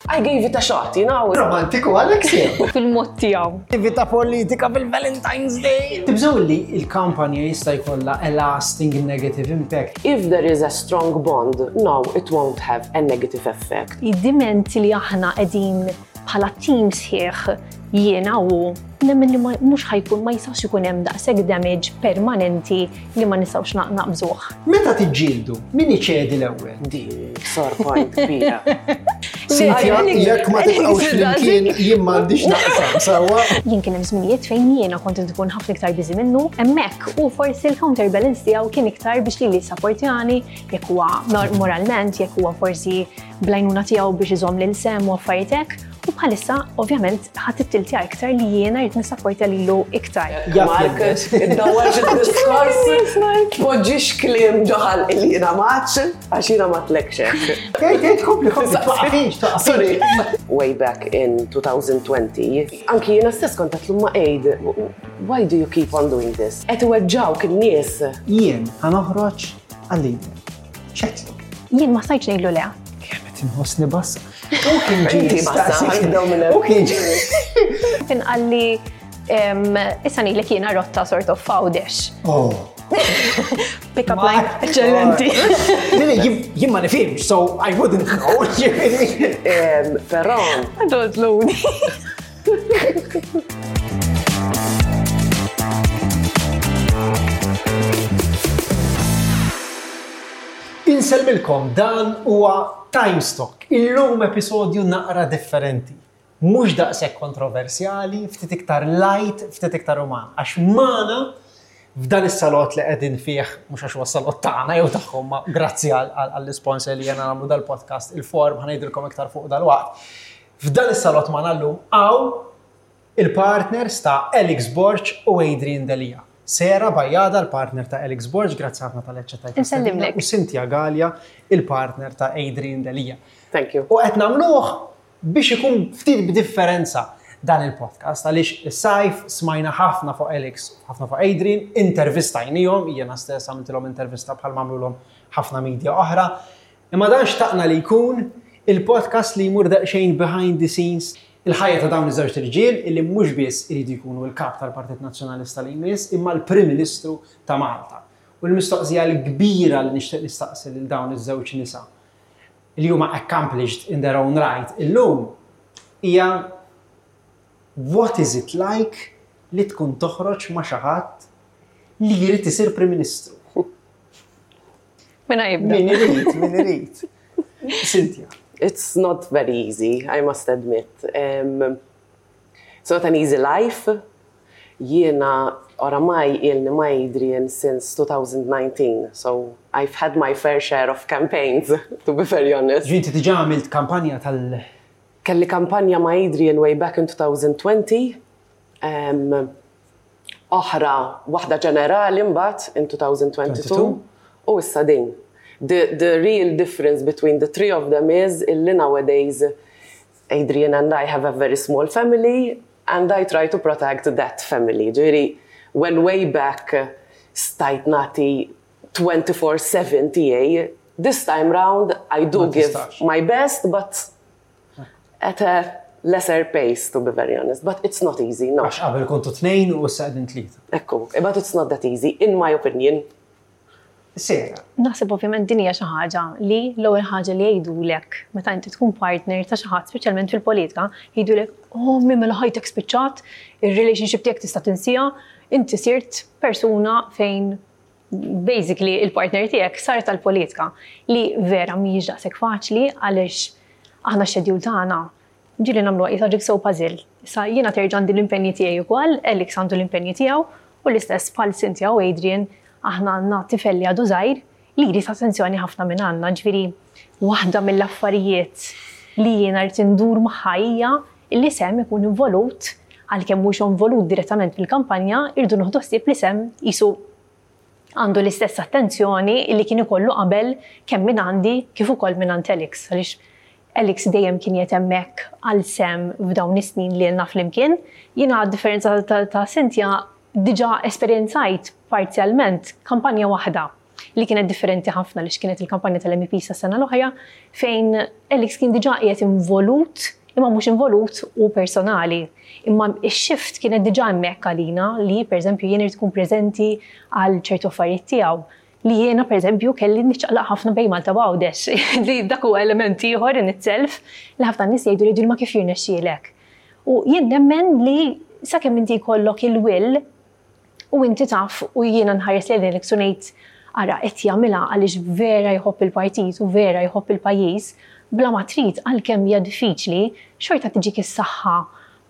I gave it a shot, you know. Romantiku Alex Fil-mod tiegħu. Attività politika fil-Valentine's Day. Tibżgħu li il-kampanja jista' jkollha a lasting negative impact. If there is a strong bond, no, it won't have a negative effect. Id-diment li aħna qegħdin bħala team sħiħ jiena u nemmen li mhux ħa jkun ma jistax ikun hemm daqshekk damage permanenti li ma nistgħux naqbżuh. Meta tiġġieldu, min iċedi l-ewwel? Di sore point kbira. Cynthia, jekk ma tibqgħux flimkien jien m'għandix naqsam sewwa. Jien kien hemm żminijiet fejn jiena kont nkun ħafna iktar busy minnu, hemmhekk u forsi l-counterbalance tiegħu kien iktar biex lili jissapportjani, jekk huwa moralment, jekk huwa forsi bl-għajnuna tiegħu biex iżomm lil Sam u affarijiet hekk. U bħalissa, ovvjament, ħadd it-tiltja iktar li jiena rrid nissapportja lilu iktar. Mark, iddawwarx id-diskors, tpoġġix kliem ġo ħalqi li jiena m'għadx, għax jiena ma tlekx hekk. Tgħid, tgħid, kompli, kompli, twaqqafix, twaqqafix. Sorry. Way back in 2020, anki jiena stess kont għedtlu ma Aid, why do you keep on doing this? Qed iweġġgħuk in-nies. Jien ħa noħroġ għal-leader. X'għedtlu? Jien ma stajtx ngħidlu le. Kemm qed inħossni bassa. U kien ġie Inti bassa, jistaqsi. ħanibdew minn hemm. U kien ġie. Kien qalli issa ngħidlek jiena rotta sort of f'Għawdex. Oh. Pick up line, eċċellenti. Le, le, jien ma nifhimx, so I wouldn't know. Però. I don't know. Insellmilkom, dan huwa Timestock. Illum episodju naqra differenti. Mhux daqshekk kontroversjali, ftit iktar light, ftit iktar uman. Għax magħna f'dan is-salott li qegħdin fih, mhux għax huwa s-salott tagħna jew tagħhom, ma grazzi għall-isponsor li jena nagħmlu dal-podcast, il-form, ħa ngħidilkom iktar fuq dal-waqt. F'dan is-salott magħna llum hawn Il-partners ta' Alex Borg u Adrian Delia. Sarah Bajada, l-partner ta' Alex Borg, grazzi ħafna talli aċċettajt l-istedina, Insellimlek. u Cynthia Galea, il-partner ta' Adrian Delia. Thank you. U qed nagħmluh biex ikun ftit b'differenza dan il-podcast għaliex is-sajf smajna ħafna fuq Alex, ħafna fuq Adrian, intervistajnihom, jiena stess għamiltilhom intervista bħal m'għamlulhom ħafna media oħra. Imma dan xtaqna li jkun il-podcast li jmur daqsxejn behind the scenes Il-ħajja ta' dawn iż-żewġt irġiel illi mhux biss iridu jkunu l-Kap tal-Partit Nazzjonalista li jmiss imma l-Prim Ministru ta' Malta. U l-mistoqsija l-kbira li nixtieq nistaqsi lil dawn iż-żewġ nisa li huma accomplished in their own right illum hija what is it like li tkun toħroġ ma' xi ħadd li jrid isir Prim Ministru? Min jibda? Min irid, min irid. Cynthia. It's not very easy, I must admit. Um, it's not an easy life. Jiena oramai ilni ma' Adrian since 2019, so I've had my fair share of campaigns, to be very honest. Ġinti diġà għamilt kampanja tal- Kelli kampanja ma' Adrian way back in 2020. Um, oħra, waħda ġenerali mbagħad in 2022 u issa din. The, the real difference between the three of them is illi nowadays Adrian and I have a very small family and I try to protect that family. Ġifieri, when way back stajt nagħti 24/7 tiegħi, this time round I do give my best, but At a lesser pace, to be very honest, but it's not easy, no. Għax qabel kontu tnejn u issa qegħdin tlieta. Ekku, but it's not that easy, in my opinion. Sera. Naħseb ovvjament din hija xi ħaġa li l-ewwel ħaġa li jgħidulek meta inti tkun partner ta' xi ħadd, speċjalment fil-politika, jgħidulek, oh min mela ħajtek spiċċat, ir-relationship tiegħek tista' tinsiha, inti sirt persuna fejn basically il-partner tiegħek sar tal-politika li vera mhijiex daqshekk faċli għaliex aħna x-schedule tagħna ġieli nagħmluha qisha jigsaw puzzle. Issa jiena terġa' għandi l-impenji tiegħi wkoll, Alex għandu l-impenji tiegħu u l-istess bħal Cynthia u Adrian aħna għandna tifel li għadu żgħir li jrid attenzjoni ħafna minn għandna. Ġifieri waħda mill-affarijiet li jiena rrid indur magħha hija li Sam ikun involut għalkemm mhux involut direttament fil-kampanja, irridu nieħdu ħsieb li Sam qisu għandu l-istess attenzjoni li kien ikollu qabel kemm minn għandi kif ukoll minn għand Alex għaliex Alex dejjem kien qiegħed hemmhekk għal Sam f'dawn is-snin li ilna flimkien. Jiena għad-differenza ta' Cynthia diġà esperjenzajt parzjalment kampanja waħda. Li kienet differenti ħafna li kienet il-kampanja tal-MEP sa sena l-oħra fejn Alex kien diġà qiegħed involut imma mhux involut u personali. Imma x-shift kienet diġà hemmhekk għalina li pereżempju jien irid tkun preżenti għal ċertu affarijiet tiegħu li jiena pereżempju kelli niċċaqlaq ħafna bejn Malta u Għawdex li dak huwa element ieħor in itself li ħafna nies jgħidu li ma kif jirnexxielek. U jien nemmen li sakemm inti jkollok il-will u inti taf u jiena nħares lejn Alex u ngħid ara qed jagħmilha għaliex vera jħobb il-partit u vera jħobb il-pajjiż, bla ma trid għalkemm hija diffiċli, xorta tiġik is-saħħa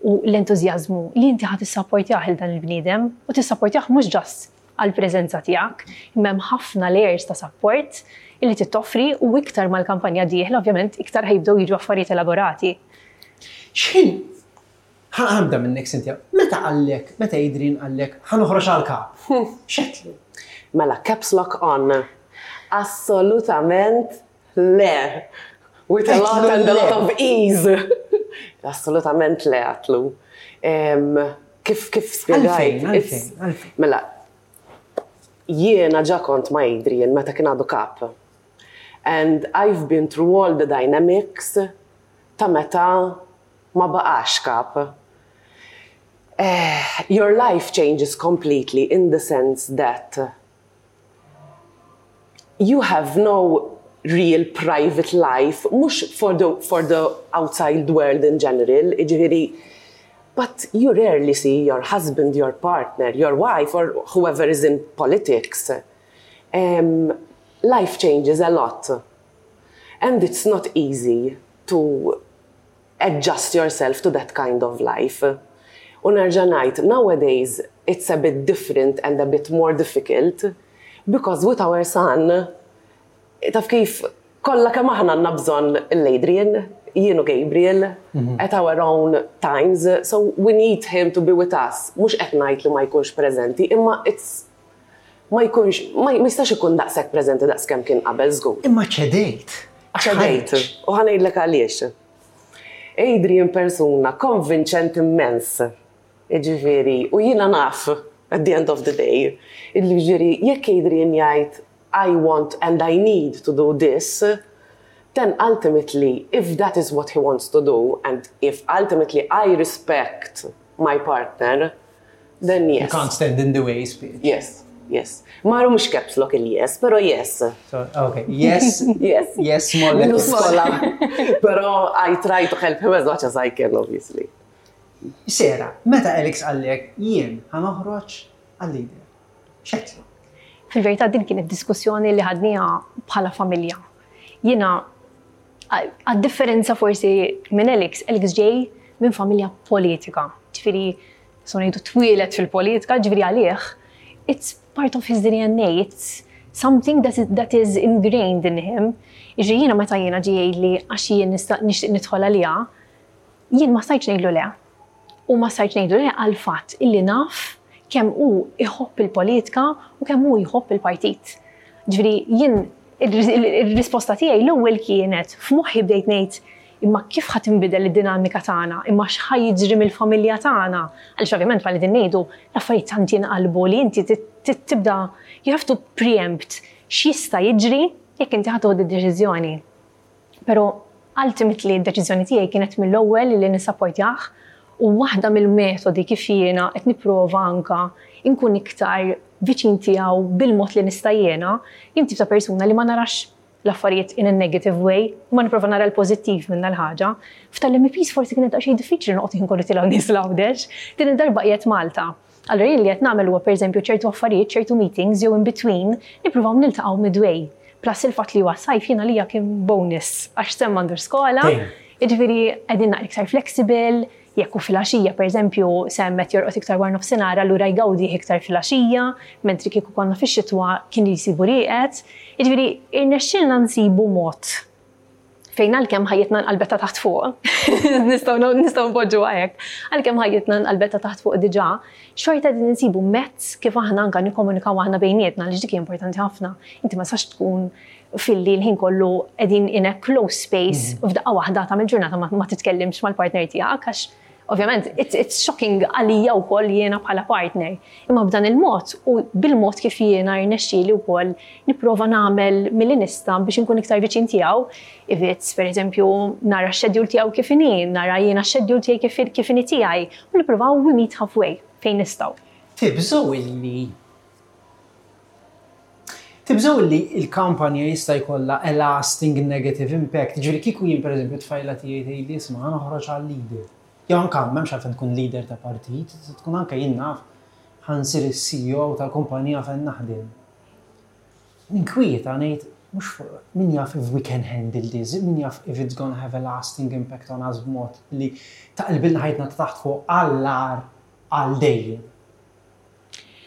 u l-entużjażmu li inti ħa tissapportjah il dan il-bniedem u tissapportjah mhux just għall-preżenza tiegħek, imma hemm ħafna layers ta' support illi trid toffri u iktar mal-kampanja dieħla ovvjament iktar ħa jibdew jiġu affarijiet elaborati. X'ħin Ħa nibda minnek Cynthia, meta qallek, meta Adrian qallek ħa noħroġ għal kap? X'għedtlu? Mela, caps lock on. Assolutament le. With a lot and a lot of ease. Assolutament le għatlu. Kif kif spjegajt? Għalfejn, għalfejn. Mela, jiena ġa kont ma' Adrian meta kien għadu kap. And I've been through all the dynamics ta' meta ma baqax kap. Your life changes completely in the sense that you have no real private life, mhux for the, for the outside world in general, jiġifieri, but you rarely see your husband, your partner, your wife or whoever is in politics. Um, life changes a lot. And it's not easy to adjust yourself to that kind of life. U nerġa' ngħid, nowadays it's a bit different and a bit more difficult because with our son, taf kif kollha kemm aħna għandna bżonn l-Adrian, jien u Gabriel, at our own times, so we need him to be with us. Mhux qed ngħid li ma jkunx preżenti, imma it's ma jkunx, ma jistax ikun daqshekk preżenti daqs kemm kien qabel żgur. Imma ċedejt. Ċedejt. U ħa ngħidlek għaliex. Adrian persuna konvinċenti immens. Jiġifieri, u jiena naf at the end of the day, illi jiġifieri jekk Adrian jgħid I want and I need to do this, then ultimately if that is what he wants to do and if ultimately I respect my partner, Then yes. You can't stand in the way, speech. Yes, yes. Maru mux caps lock il-yes, pero yes. So, okay, yes, yes, yes, small letters. Pero I try to help him as much as I can, obviously. Sera, meta Alex għallek jien ħanoħroġ għal-lider. X'għedtlu? Fil-verità din kienet diskussjoni li ħadniha bħala familja. Jiena għad-differenza forsi minn Alex, Alex ġej minn familja politika. Ġifieri so ngħidu twieled fil-politika, ġifieri għalih, it's part of his DNA, it's something that is, that is ingrained in him. Ġifieri jiena meta jiena ġie jgħidli għax jien nixtieq nidħol għaliha, jien ma stajtx ngħidlu le. U ma stajtx ngħidlu le għal fatt illi naf kemm hu iħobb il-politika u kemm hu jħobb il-partit. Ġifieri jien ir-risposta tiegħi l-ewwel kienet f'moħħi bdejt ngħid Imma kif ħa tinbidel id-dinamika tagħna? Imma x'ħa jiġri mill-familja tagħna? Għaliex ovvjament bħal qegħdin ngħidu, l-affarijiet tant jinqalbu li inti tibda you have to preempt x'jista' jiġri jekk inti ħa tieħu d-deċiżjoni. Però ultimately d-deċiżjoni tiegħi kienet mill-ewwel li nissapportjah u waħda mill-metodi kif jiena qed nipprova anka nkun iktar viċin tiegħu bil-mod li nista' jiena, jien tip ta' persuna li ma narax l-affarijiet in a negative way, imma nipprova nara l-pożittiv minn dal-ħaġa. F'tal-MEPs forsi kienet daqsxejn diffiċli noqgħod ħin kollu tilgħu nies l-Għawdex. Din id-darba qiegħed Malta. Allura jien li qed nagħmel huwa pereżempju ċertu affarijiet, ċertu meetings jew in between nippruvaw niltaqgħu midway. Plus il-fatt li huwa sajf jien għalija kien bonus għax Sam m'għandux skola, jiġifieri qegħdin naqra iktar flexible, Jekk hu filgħaxija, pereżempju, Sam qed jorqod iktar wara nofsinhar, allura jgawdih iktar filgħaxija, mentri kieku konna fix-xitwa kien jsibu rieqed. Jiġifieri, irnexxielna nsibu mod fejn għalkemm ħajjitna nqalbet ta' taħt fuq, nistgħu nistgħu npoġġuha hekk, għalkemm ħajjitna nqalbet ta' taħt fuq diġà, xorta qegħdin insibu mezz kif aħna anke nikkomunikaw aħna bejnietna għaliex dik hija importanti ħafna. Inti ma tistax tkun filli l-ħin kollu qegħdin in a close space mhm. f'daqqa waħda ta' mill-ġurnata ma titkellimx mal-partner tiegħek għax Ovvjament, it's, it's shocking għalija wkoll jiena bħala partner. Imma b'dan il-mod u bil-mod kif jiena rnexxieli wkoll nipprova nagħmel milli nista' biex inkun iktar viċin tiegħu, if it's per eżempju nara x-schedule tiegħu kif inhi, nara jiena x-schedule tiegħi kif kif inhi tiegħi, u nippruvaw we meet halfway fejn nistgħu. Tibżgħu illi Tibżgħu illi il-kampanja jista' jkollha a lasting negative impact. Ġifieri kieku jien pereżempju tfajla tiegħi tgħidli isma' ħa noħroġ għal leader. Jew anke m'hemmx għalfejn tkun leader ta' partit, tkun anke jien naf ħa nsir is-CEO tal-kumpanija fejn naħdem. Ninkwieta ngħid mhux fuq min jaf if we can handle this, min jaf if it's gonna have a lasting impact on us b'mod li taqilbilna ħajtna ta' taħt fuq għall-agħar għal dejjem.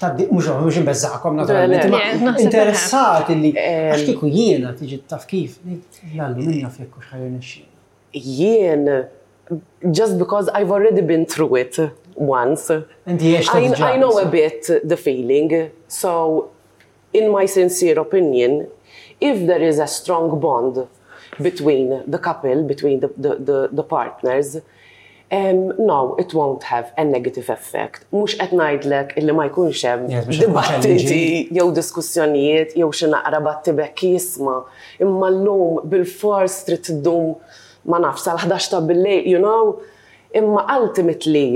Taddi, mhux mhux inbeżżakom naturalment, imma Le, naħseb interessat li għax kieku jiena tiġi taf kif, ngħid jallu min jaf jekk hux ħa jirnexxielna. Jien, just because I've already been through it once. Inti għext I, diġà. I know a bit the feeling, so in my sincere opinion, if there is a strong bond between the couple, between the, the, the, the partners, no, it won't have a negative effect. Mhux qed ngħidlek illi ma jkunx hemm Yes, mhux qed tkun dibattiti challenging. jew diskussjonijiet jew xi naqra battibekki jisma' imma llum bil-fors trid tiddum ma nafx sal-11 ta' bil-lejl, you know, imma ultimately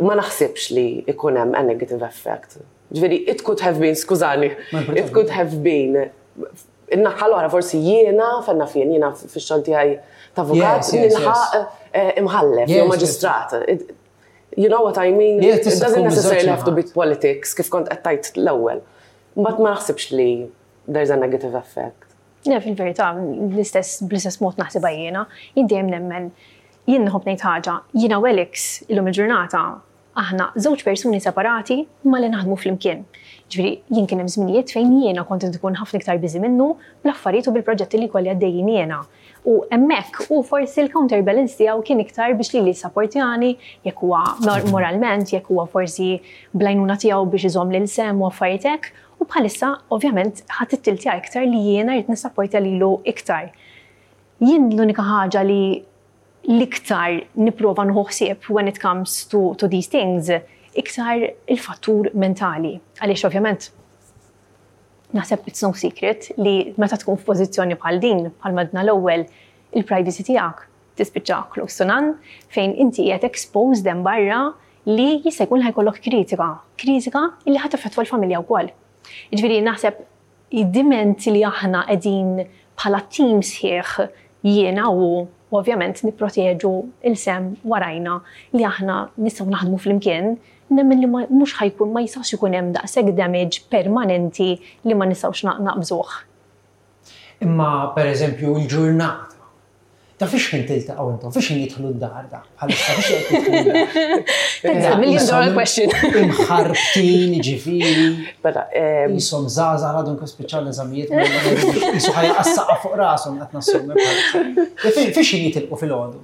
ma naħsibx li ikun hemm a negative effect. Ġifieri, it could have been, skużani, Ma importanti. it could have been in-naħa l-oħra forsi jiena, fenna fien, jiena fix-xogħol tiegħi ta' avukat, Yes, nilħaq imħallef Yes, jew yes. maġistrat. You know what I mean? Yeah, It tista' doesn't tkun necessarily miż-żewġ have to be naħat. politics, kif kont qed tgħid l-ewwel. But ma naħsibx li there's a negative effect. Le, fil-verità, l-istess bl-istess mod naħsibha jiena, jien dejjem nemmen, jien nħobb ngħid ħaġa, jiena u Alex illum il-ġurnata aħna żewġ persuni separati ma li naħdmu flimkien. Ġifieri, jien kien hemm żminijiet fejn jiena kont nkun ħafna iktar busy minnu bl-affarijiet u bil-proġetti li kolli għaddejjin jiena. U hemmhekk u forsi l-counterbalance tiegħu kien iktar biex lili jissapportjani, jekk huwa moralment, jekk huwa forsi bl-għajnuna tiegħu biex iżomm lil Sam u affarijiet hekk. U bħalissa ovvjament ħadd ittiltja iktar li jiena rrid nissapportja lilu iktar. Jien l-unika ħaġa li l-iktar nipprova nieħu ħsieb when it comes to these things, iktar il-fattur mentali. Għaliex ovvjament naħseb it's no secret li meta tkun f'pożizzjoni bħal din, bħal madna l-ewwel, il-privacy tiegħek tispiċċa close to none, fejn inti qiegħed exposed hemm barra li jista' jkun ħajkollok kritika, kritika li ħa taffettwa l-familja wkoll. Jiġifieri naħseb id-diment li aħna qegħdin bħala team sħiħ jiena u ovvjament nipproteġu lil Sam warajna li aħna nistgħu naħdmu flimkien, nemmen li mhux ħajkun ma jistax ikun hemm daqshekk damage permanenti li ma nistgħux naqbżuh. Imma per eżempju il-ġurnata. Ta' fiex ħin tiltaqgħu intom, fiex ħin jidħlu d-dar da? Bħalissa fiex qed jidħlu d-dar? That's a million dollar question. Imħarbtin, ġifieri. Mela, Jisom żgħażagħ għadhom kif spiċċaw l-eżamijiet, jisu ħajja qassaqa fuq rashom qed nassumi bħalissa. Fiex ħin jitilqu filgħodu?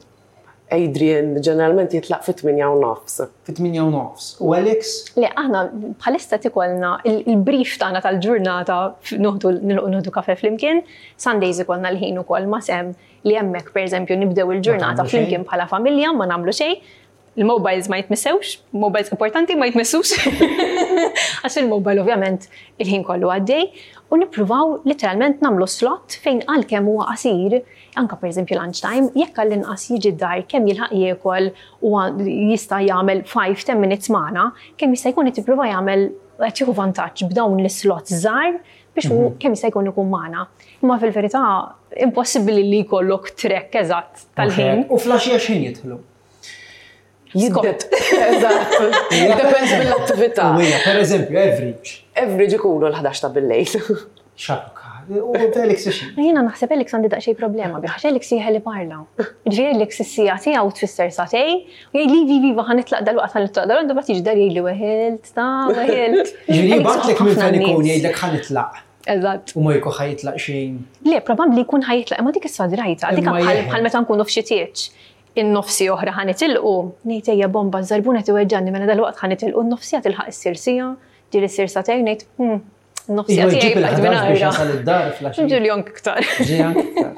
Adrian ġeneralment jitlaq fit-8:30. Fit-8:30. U Alex? Le, aħna bħalissa tikolna il-brief tagħna tal-ġurnata nilqu nieħdu kafe flimkien, Sundays ikollna l-ħin ukoll ma' Sam li hemmhekk pereżempju nibdew il-ġurnata Ma tagħmlu xejn. flimkien bħala familja ma nagħmlu xejn. Il-mobiles ma jitmissewx, mobiles importanti ma jitmissux. Għax il-mobile ovvjament il-ħin kollu għaddej. U nippruvaw literalment nagħmlu slot fejn għalkemm huwa qasir, anka pereżempju lunchtime, jekk għall-inqas jiġi d-dar kemm jilħaq jiekol u jista' jagħmel 5-10 minutes magħna, kemm jista' jkun qed jipprova jagħmel qed jieħu vantaġġ b'dawn l-slots żgħar biex hu kemm jista' jkun ikun magħna. Imma fil-verità impossibbli li jkollok track eżatt tal-ħin. U filgħaxija x'ħin jidħlu? Jiddet. Eżatt. Depends mill-attività. U hija, per eżempju, average. Average ikunu l-11 ta' bil-lejl. Xarruka. U Felix xi? Jiena naħseb Alex għandi daqsxejn problema bih, għax Alex jeħel parla. Ġifieri Alex is-siegħa tiegħu tfisser sagħtejn, u jgħid li vi viva ħa nitlaq dalwaqt ħa nitlaq dalwaqt, mbagħad jiġi dar jgħid li weħilt, ta' weħilt. Ġifieri Alex jibgħatlek minn ħafna fejn ikun nies. jgħidlek ħa nitlaq. Eżatt. U ma jkun ħa jitlaq xejn. Le, probabbli jkun ħa jitlaq, imma dik issa drajta, dik Imma jeħel. bħal meta nkunu f'xi tieġ. In-nofsi oħra ħa nitilqu, ngħid ejja bomba żarbuna tiweġġani mela dalwaqt ħa nitilqu n-nofsija tilħaq issir siegħa, ġieli ssir sagħtejn ngħid, n-nofsija Iva tiegħi jġib bqajt il-11 biex mingħajra. jasal id-dar filgħaxija. Ġieli anke iktar. Ġieli anke iktar.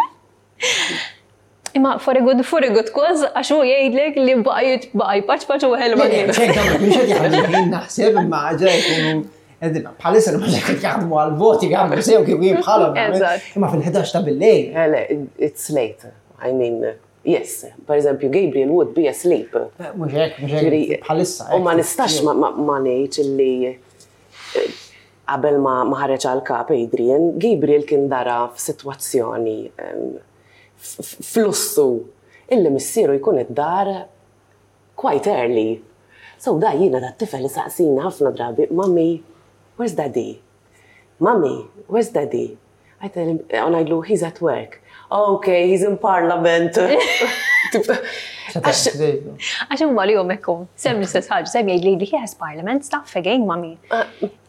Imma for a good, for a good cause, għax hu jgħidlek li baqa' jitbaqa' jpaċpaċ u ħelma nies. Ċek, dawn mhux qed jaħdmu jien naħseb imma ġa jkunu bħalissa ma qed jaħdmu għal-voti jagħmlu sew kif jien bħalhom. Imma fil-11 ta' billejl. Le, it's late. I mean, yes, per eżempju, Gabriel would be asleep. Eh, mhux hekk, mhux hekk bħalissa. U ma nistax ma ngħidx illi eh, qabel ma ħareġ għal kap Adrian, Gabriel kien dara f'sitwazzjoni f'lussu illi missieru jkun id-dar quite early. So da jiena dat tifel isaqsini ħafna drabi, Mummy, where's daddy? Mummy, where's daddy? I tell him, u ngħidlu, he's at work. Okay, he's in parliament. Għax huma li hum hekk Sem l-istess ħaġa, sem jgħid li he has parliament stuff again, mummy.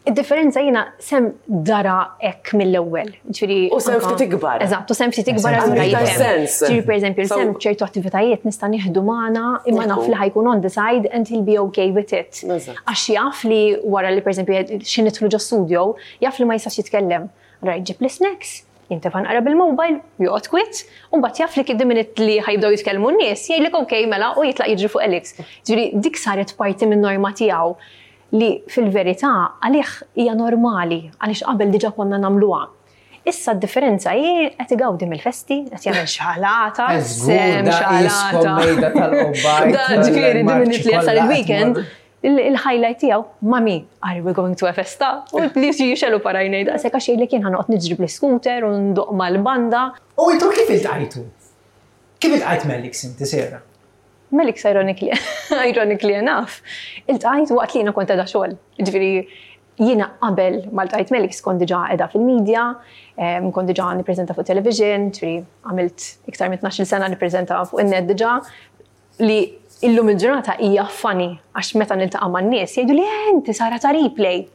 Id-differenza jiena sem dara hekk mill-ewwel. Ġifieri. U sem ftit ikbar. Eżatt, u sem ftit ikbar allura jifhem. Ġifieri pereżempju, sem ċertu attivitajiet nista' nieħdu magħna imma naf li ħajkun on the side and he'll be okay with it. Għax jaf li wara li pereżempju xi nidħlu ġo studio, jaf li ma jistax jitkellem. Allura jġib l-snacks, jintefa' nqra bil-mobile, joqgħod kwiet, u mbagħad jaf li the minute li ħajbdew jitkellmu n-nies, jgħidlek okay mela u jitlaq jiġri fuq Alex. Ġifieri dik saret parti min-norma tiegħu li fil-verità għalih hija normali għaliex qabel diġà konna nagħmluha. Issa d-differenza hi qed igawdi mill-festi, qed jagħmel xalata, sem xalata. Da ġifieri the minute li jasal il-weekend, il-highlight tiegħu, mami, are we going to a festa? U li jixelu parajnej daqshekk għax jgħidlek jien ħanoqgħod niġri bl-iscooter u ndoq mal-banda. U intom kif iltqajtu? Kif iltqajt m'Alex inti, Sarah? Melix ironically, ironically enough, iltqajt waqt li jiena kont qiegħda xogħol. Ġifieri jiena qabel ma ltqajt Melix kont diġà qiegħda fil-media, kont diġà nippreżenta fuq television, ġifieri għamilt iktar minn 12-il sena nippreżenta fuq in-net diġà li illum il-ġurnata hija funny għax meta niltaqa' man-nies jgħidu li eh, inti Sara ta' replay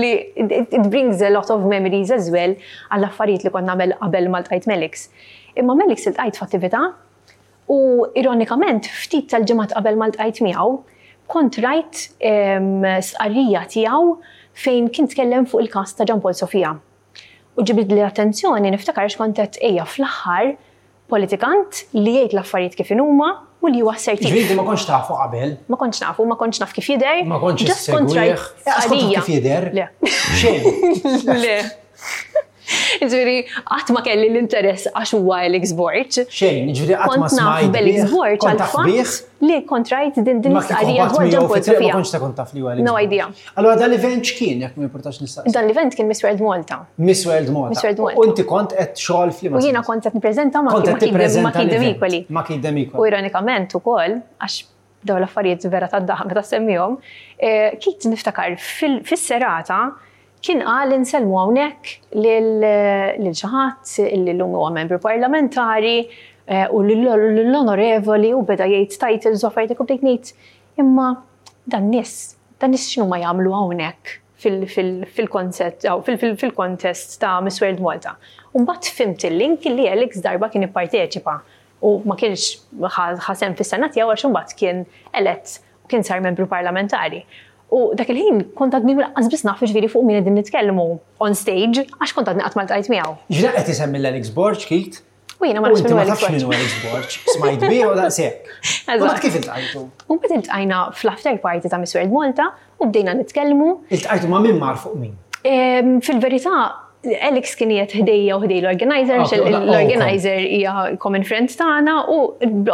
li it, it brings a lot of memories as well għall-affarijiet li kont nagħmel qabel ma ltqajt Melix. Imma Melix iltqajt f'attività U ironikament, ftit tal-ġimgħat qabel ma ltqajt miegħu, kont rajt stqarrija tiegħu fejn kien tkellem fuq il-każ ta' Jean Paul Sofia. U ġibidli l-attenzjoni niftakar għax kont għedt ejja fl-aħħar politikant li jgħid l-affarijiet kif inhuma u li huwa assertiv. Ġifieri inti ma kontx tafu qabel? Ma kontx nafu, ma kontx naf kif jidher. Ma kontx issegwih. Lanqas kont taf kif jidher? Le. Xejn. Le. Ġifieri, qatt ma kelli l-interess għax huwa Alex Borg. Xejn, ġifieri qatt ma smajt. B'Alex Borg għal fatt li kont rajt din din l-istqarrija dwar Jean Paul Sofia. Ma kontx ta' kont taf li huwa Alex. No idea. Allura dan l-event x'kien jekk ma importax nistaqsi? Dan l-event kien Miss World Malta. Miss World Malta. Miss World Malta. U inti kont qed xogħol fl U jiena kont qed nippreżenta ma' Kid Demikoli. Ma' Kid Demikoli. U ironikament ukoll għax dawn l-affarijiet vera tad-daħ meta semmihom, eh, Kit niftakar fis-serata Kien qal insellmu hawnhekk lil xi ħadd li llum huwa membru parlamentari u lill-onorevoli u beda jgħid titles u affarijiet hekk u bdejt ngħid imma dan nies, dan nies x'inhuma jagħmlu hawnhekk fil-konsett fil-kontest ta' Miss World Malta. U mbagħad fhimt il-link li Alex darba kien ipparteċipa u ma kienx ħa sehem fis-sena tiegħu għax imbagħad kien elett u kien sar membru parlamentari. U dak il-ħin kont għadni lanqas biss naf jiġifieri fuq min qegħdin nitkellmu on stage għax kont għadni qatt ma ltqajt miegħu. Jiġifieri qed isemmi l-Alex Borg, Keith? U jiena ma nafx min hu Alex Borg. U Alex Borg, smajt bih u daqshekk. U mbagħad kif iltqajtu? U mbagħad iltqajna fl-after party ta' Miss World Malta u bdejna nitkellmu. Iltqajtu ma' min mar fuq min? Fil-verità, Alex kien qiegħed ħdejja u ħdej l-organizer, għax l-organizer hija common friend tagħna u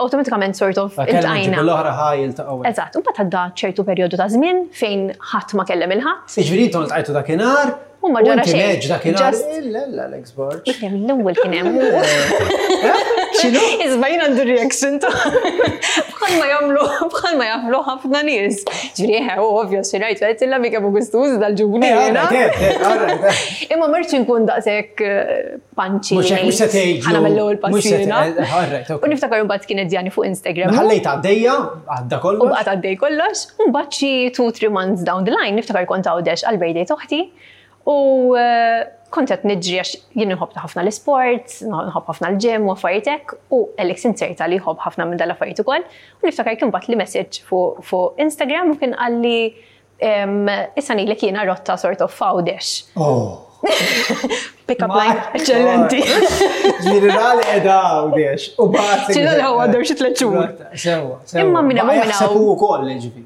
awtomatikament sort of iltqajna. L-oħra ħaj iltaqgħu. Eżatt, u mbagħad għadda ċertu perjodu ta' żmien fejn ħadd ma kellem il-ħadd. Jiġifieri intom iltqajtu dakinhar U ma ġara xejn. U dakinhar. Alex Borg. L-ewwel kien hemm. X'inhu? Isma' jien għandu reaction ta' bħalma jagħmlu bħalma jagħmlu ħafna nies. Ġifieri eħe, u ovvja xi rajt għedt illa mi kemm gustuż dal-ġubni. Eh, Imma marċ inkun daqshekk eh, panċi. Mhux hekk mhux se tgħid. Ħana mill-ewwel passina. Eh, u niftakar imbagħad kienet djani fuq Instagram. Ħallejt għaddejja, għadda kollox. U baqgħet għaddej kollox, u mbagħad xi 2-3 months down the line niftakar kont għawdex għal-birthday toħti. U eh, kont qed niġri għax jien nħobb ħafna l-isport, nħobb ħafna l-ġim u affarijiet hekk, u Alex inserta li jħobb ħafna minn dal-affarijiet ukoll. U niftakar kien bagħatli message fuq Instagram u kien qalli issa ngħidlek jiena rotta sort of f'Għawdex. Oh. Pick up line, eċċellenti. Ġifieri ra li qiegħda Għawdex u bagħat. Ċilla l-ħawa għaddew xi tliet xhur. Sewwa, sewwa. Imma minn hemm u minn hawn. Jaħseb ukoll ġifieri.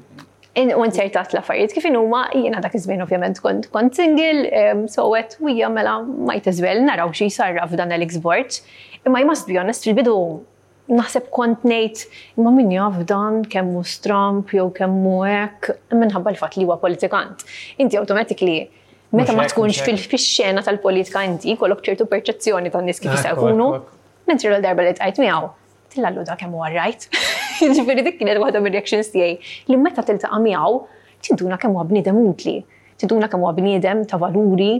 U insertat l-affarijiet kif huma jiena dak iż-żmien ovvjament kont kont single, so għedt u hija mela might as well naraw xi jsarraf dan Alex Borg. Imma I must be honest fil-bidu naħseb kont ngħid imma min jaf dan kemm hu stramb jew kemm hu hekk minħabba l-fatt li huwa politikant. Inti automatically meta ma tkunx fix-xena tal-politika inti jkollok ċertu perċezzjoni tan-nies kif jista' jkunu. Mentri l-darba li tqajt miegħu, Tillallu da kemm huwa rajt. Jiġifieri dik kienet waħda mir-reactions tiegħi li meta tiltaqa' miegħu tinduna kemm huwa bniedem utli, tinduna kemm huwa bniedem ta' valuri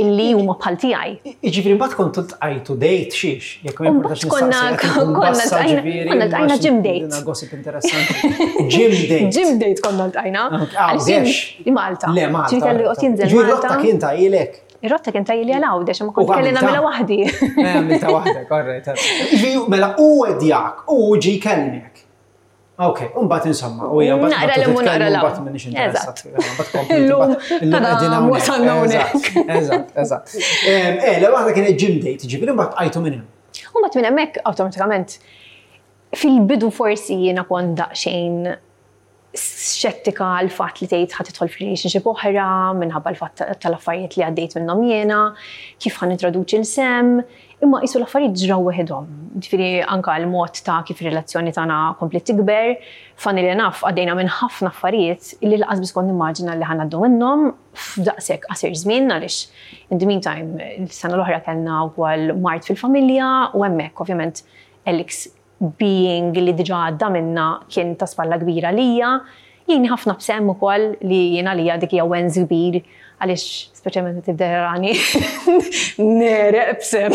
illi huma bħal tiegħi. Jiġifieri mbagħad kontu ltqajtu date xiex, jekk ma jimpurtax Konna konna konna ltqajna gym date. Gossip interessanti. Gym date. Gym date konna ltqajna. Għawdex. Malta. Le Malta. Ġifieri kellu joqgħod jinżel. Ġifieri rotta kien ta' ilek. Ir-rotta kien tajli għal Għawdex, imma kont kelli nagħmilha waħdi. Eh, għamilta waħdek, all right. Mela u għedjak, u ġi kellmek. Ok, un bat insomma, u hija mbagħad naqra l naqra l mbagħad m'iniex interessat. Mbagħad kompli. Illum qegħdin wasalna hawnhekk. Eżatt, eżatt. Eh, le waħda kienet gym date, ġifieri mbagħad bqajtu minn hemm. U mbagħad minn hemmhekk awtomatikament fil-bidu forsi jiena kont daqsxejn xettika għal fatt li tgħid ħa tidħol f'relationship oħra minħabba l-fatt tal-affarijiet li għaddejt minnhom jiena, kif ħa nintroduċi 'l Sam, imma qisu l-affarijiet ġraw weħidhom. Ġifieri anke l-mod ta' kif ir-relazzjoni tagħna kompliet tikber, funnily enough għaddejna minn ħafna affarijiet li lanqas biss kont nimmaġina li ħa ngħaddu minnhom f'daqshekk qasir żmien għaliex in the meantime is-sena l-oħra kellna wkoll mard fil-familja u hemmhekk ovvjament Alex being li diġà għadda minnha kien ta' spalla kbira għalija. Jgħinni ħafna b'Sam ukoll li jien għalija dik hija wens kbir għaliex speċjalment meta tibda jarani negħreq b'Sam.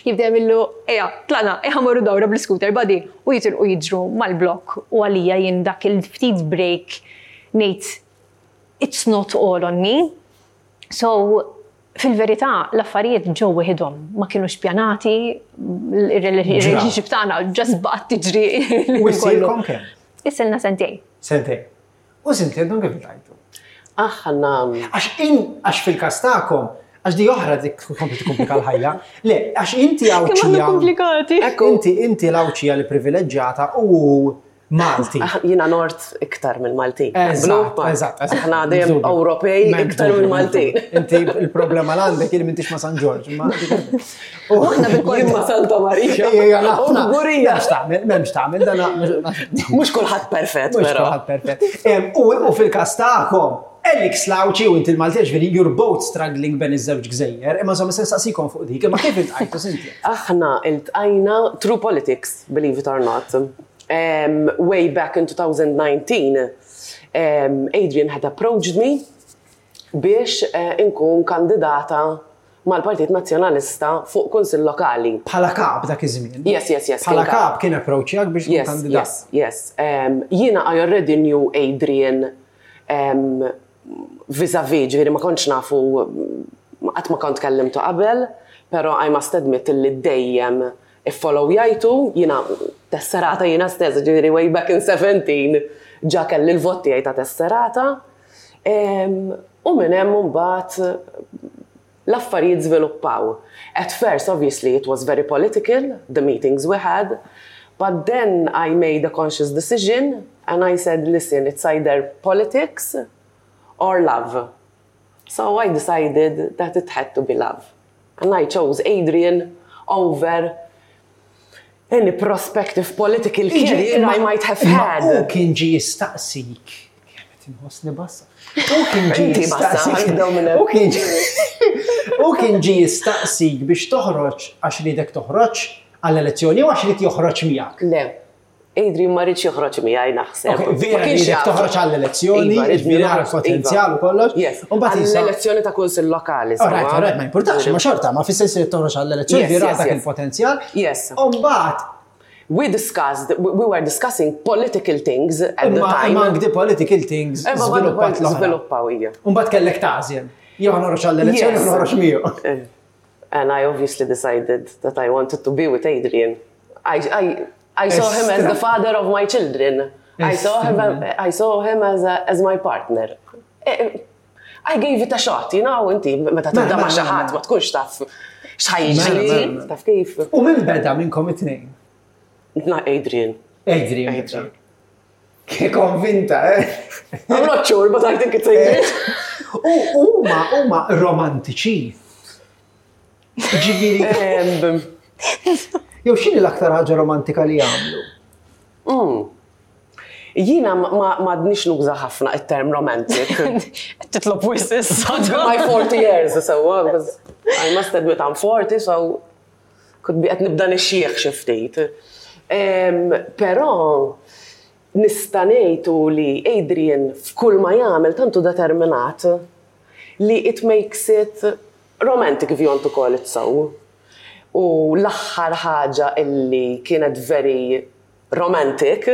Jibda jagħmillu ejja tlaqna, ejja ħa mmorru dawra bl-iscooter buddy u jitilqu jiġru mal-blokk u għalija jien dak il-ftit break ngħid it's not all on me. So Fil-verità, l-affarijiet ġew weħidhom, ma kinux pjanati, ir-relationship tagħna just baqgħet tiġri. U issilkom kemm? Issilna sentejn. Sentejn. U Cynthia intom kif iltqajtu? Aħna. Għax in, għax fil-każ tagħkom, għax di oħra dik tkompli tikkomplika l-ħajja. Le, għax inti Kemm aħna Għawdxija. komplikati. Inti inti l-Għawdxija li privileġġjata u Malti. Jiena Nord iktar mill-Maltin. Eżatt, eżatt. Aħna dejjem Ewropej iktar mill-Maltin. Inti il-problema l-għandek il m'intix ma' San Ġorġ. U aħna bil-kont ma' Santa Marija. Gurija. M'hemmx tagħmel, m'hemmx tagħmel dan. Mhux kulħadd perfett, però. Mhux kulħadd perfett. U fil-każ tagħkom, Alex Lauci u inti l-Malti ġifieri you're both struggling ben iż-żewġ gżejjer, imma insomma se nsaqsikom fuq dik, imma kif iltqajtu Cynthia? Aħna iltqajna through politics, believe it or not. Um, way back in 2019, um, Adrian had approached me biex uh, inkun kandidata mal-Partit Nazzjonalista fuq kunsill lokali. Bħala kap dak iż-żmien. Yes. Bħala kap kien approachjak biex yes, kandidat. Yes. Um, jiena I already knew Adrian um, vis-a-vis, ġifieri ma kontx nafu qatt ma kont kellimtu qabel, pero I must admit li dejjem Iffollowjajtu, jiena tesserata jiena stess, ġifieri way back in 17 ġa kelli l-vot tiegħi ta' tesserata. U minn hemm imbagħad l-affarijiet żviluppaw. At first obviously it was very political, the meetings we had, but then I made a conscious decision and I said listen it's either politics or love. So I decided that it had to be love. And I chose Adrian over any prospective political career I might have had. U kien ġi jistaqsik. Kemm inħossni bassa. U kien ġi jistaqsik. U kien U kien ġi jistaqsik biex toħroġ għax riedek toħroġ għall-elezzjoni u għax ried joħroġ miegħek. Le, Adrian ma riedx joħroġ miegħi naħseb. Vera riedek toħroġ għall-elezzjoni, iva, vera għall-potenzjal u kollox. Yes, għall-elezzjoni ta' kunsill lokali. Alright, alright, ma importax, ma xorta, ma fis-sens li toħroġ għall-elezzjoni, vera dak il-potenzjal. Yes. U mbagħad We discussed, we were discussing political things at the time. Among the political things, żviluppat l Żviluppaw hija. U mbagħad kellek tagħżel. Jew noħroġ għall-elezzjoni, noħroġ miegħu. Eh. And I obviously decided that I wanted to be with Adrian. I, I, I saw him as the father of my children. I saw him, I saw him as, a, as my partner. Eh, I gave it a shot, you know, inti meta tibda ma' xi ħadd ma tkunx taf. X'ħa jiġri, Mela, mela. taf kif? U min beda minnkom it-tnejn? Na, Adrian. Adrian. Adrian. Ke konvinta, eh? I'm not sure, but I think it's Adrian. U huma huma romantiċi. Ġifieri, jew x'inhi l-aktar ħaġa romantika li jagħmlu? Jiena ma għadnix nuża ħafna it-term romantic. Titlob wisq issa. My 40 years, so because I must admit I'm 40, so could be qed nibda nixxieħ xi ftit. Però nista' ngħid u li Adrian f'kull ma jagħmel tant hu determinat li it makes it romantic if you want to call it so. U l-aħħar ħaġa illi kienet very romantic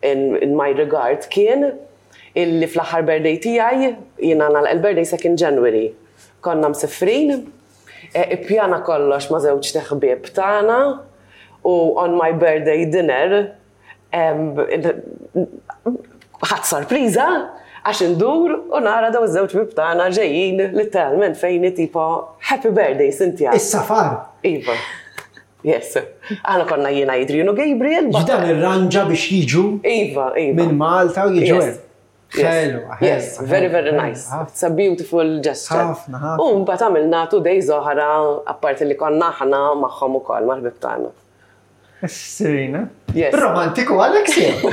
in, in my regard kien illi fl-aħħar birthday tiegħi jiena nagħlaq il-birthday second January. Konna msifrin, ippjana kollox ma' żewġ ħbieb tagħna u on my birthday dinner ħadt sorpriża għax indur u nara daw iż-żewġ ħbieb tagħna ġejjin literalment fejni tipo happy birthday Cynthia. Is-safar. Iva. Yes. Aħna konna jiena Adrian u Gabriel. but- Ġdan irranġa biex jiġu Iva. minn Malta u jiġu Yes. hemm. Ħelu, ħelu. Yes, very, very ħelu, nice. ħafna. It's a beautiful gesture. Ħafna, ħafna. U mbagħad għamilna 2 days oħra apparti li konna aħna magħhom ukoll mal-ħbieb tagħna. Serena. Yes. Romantiku Alex jew?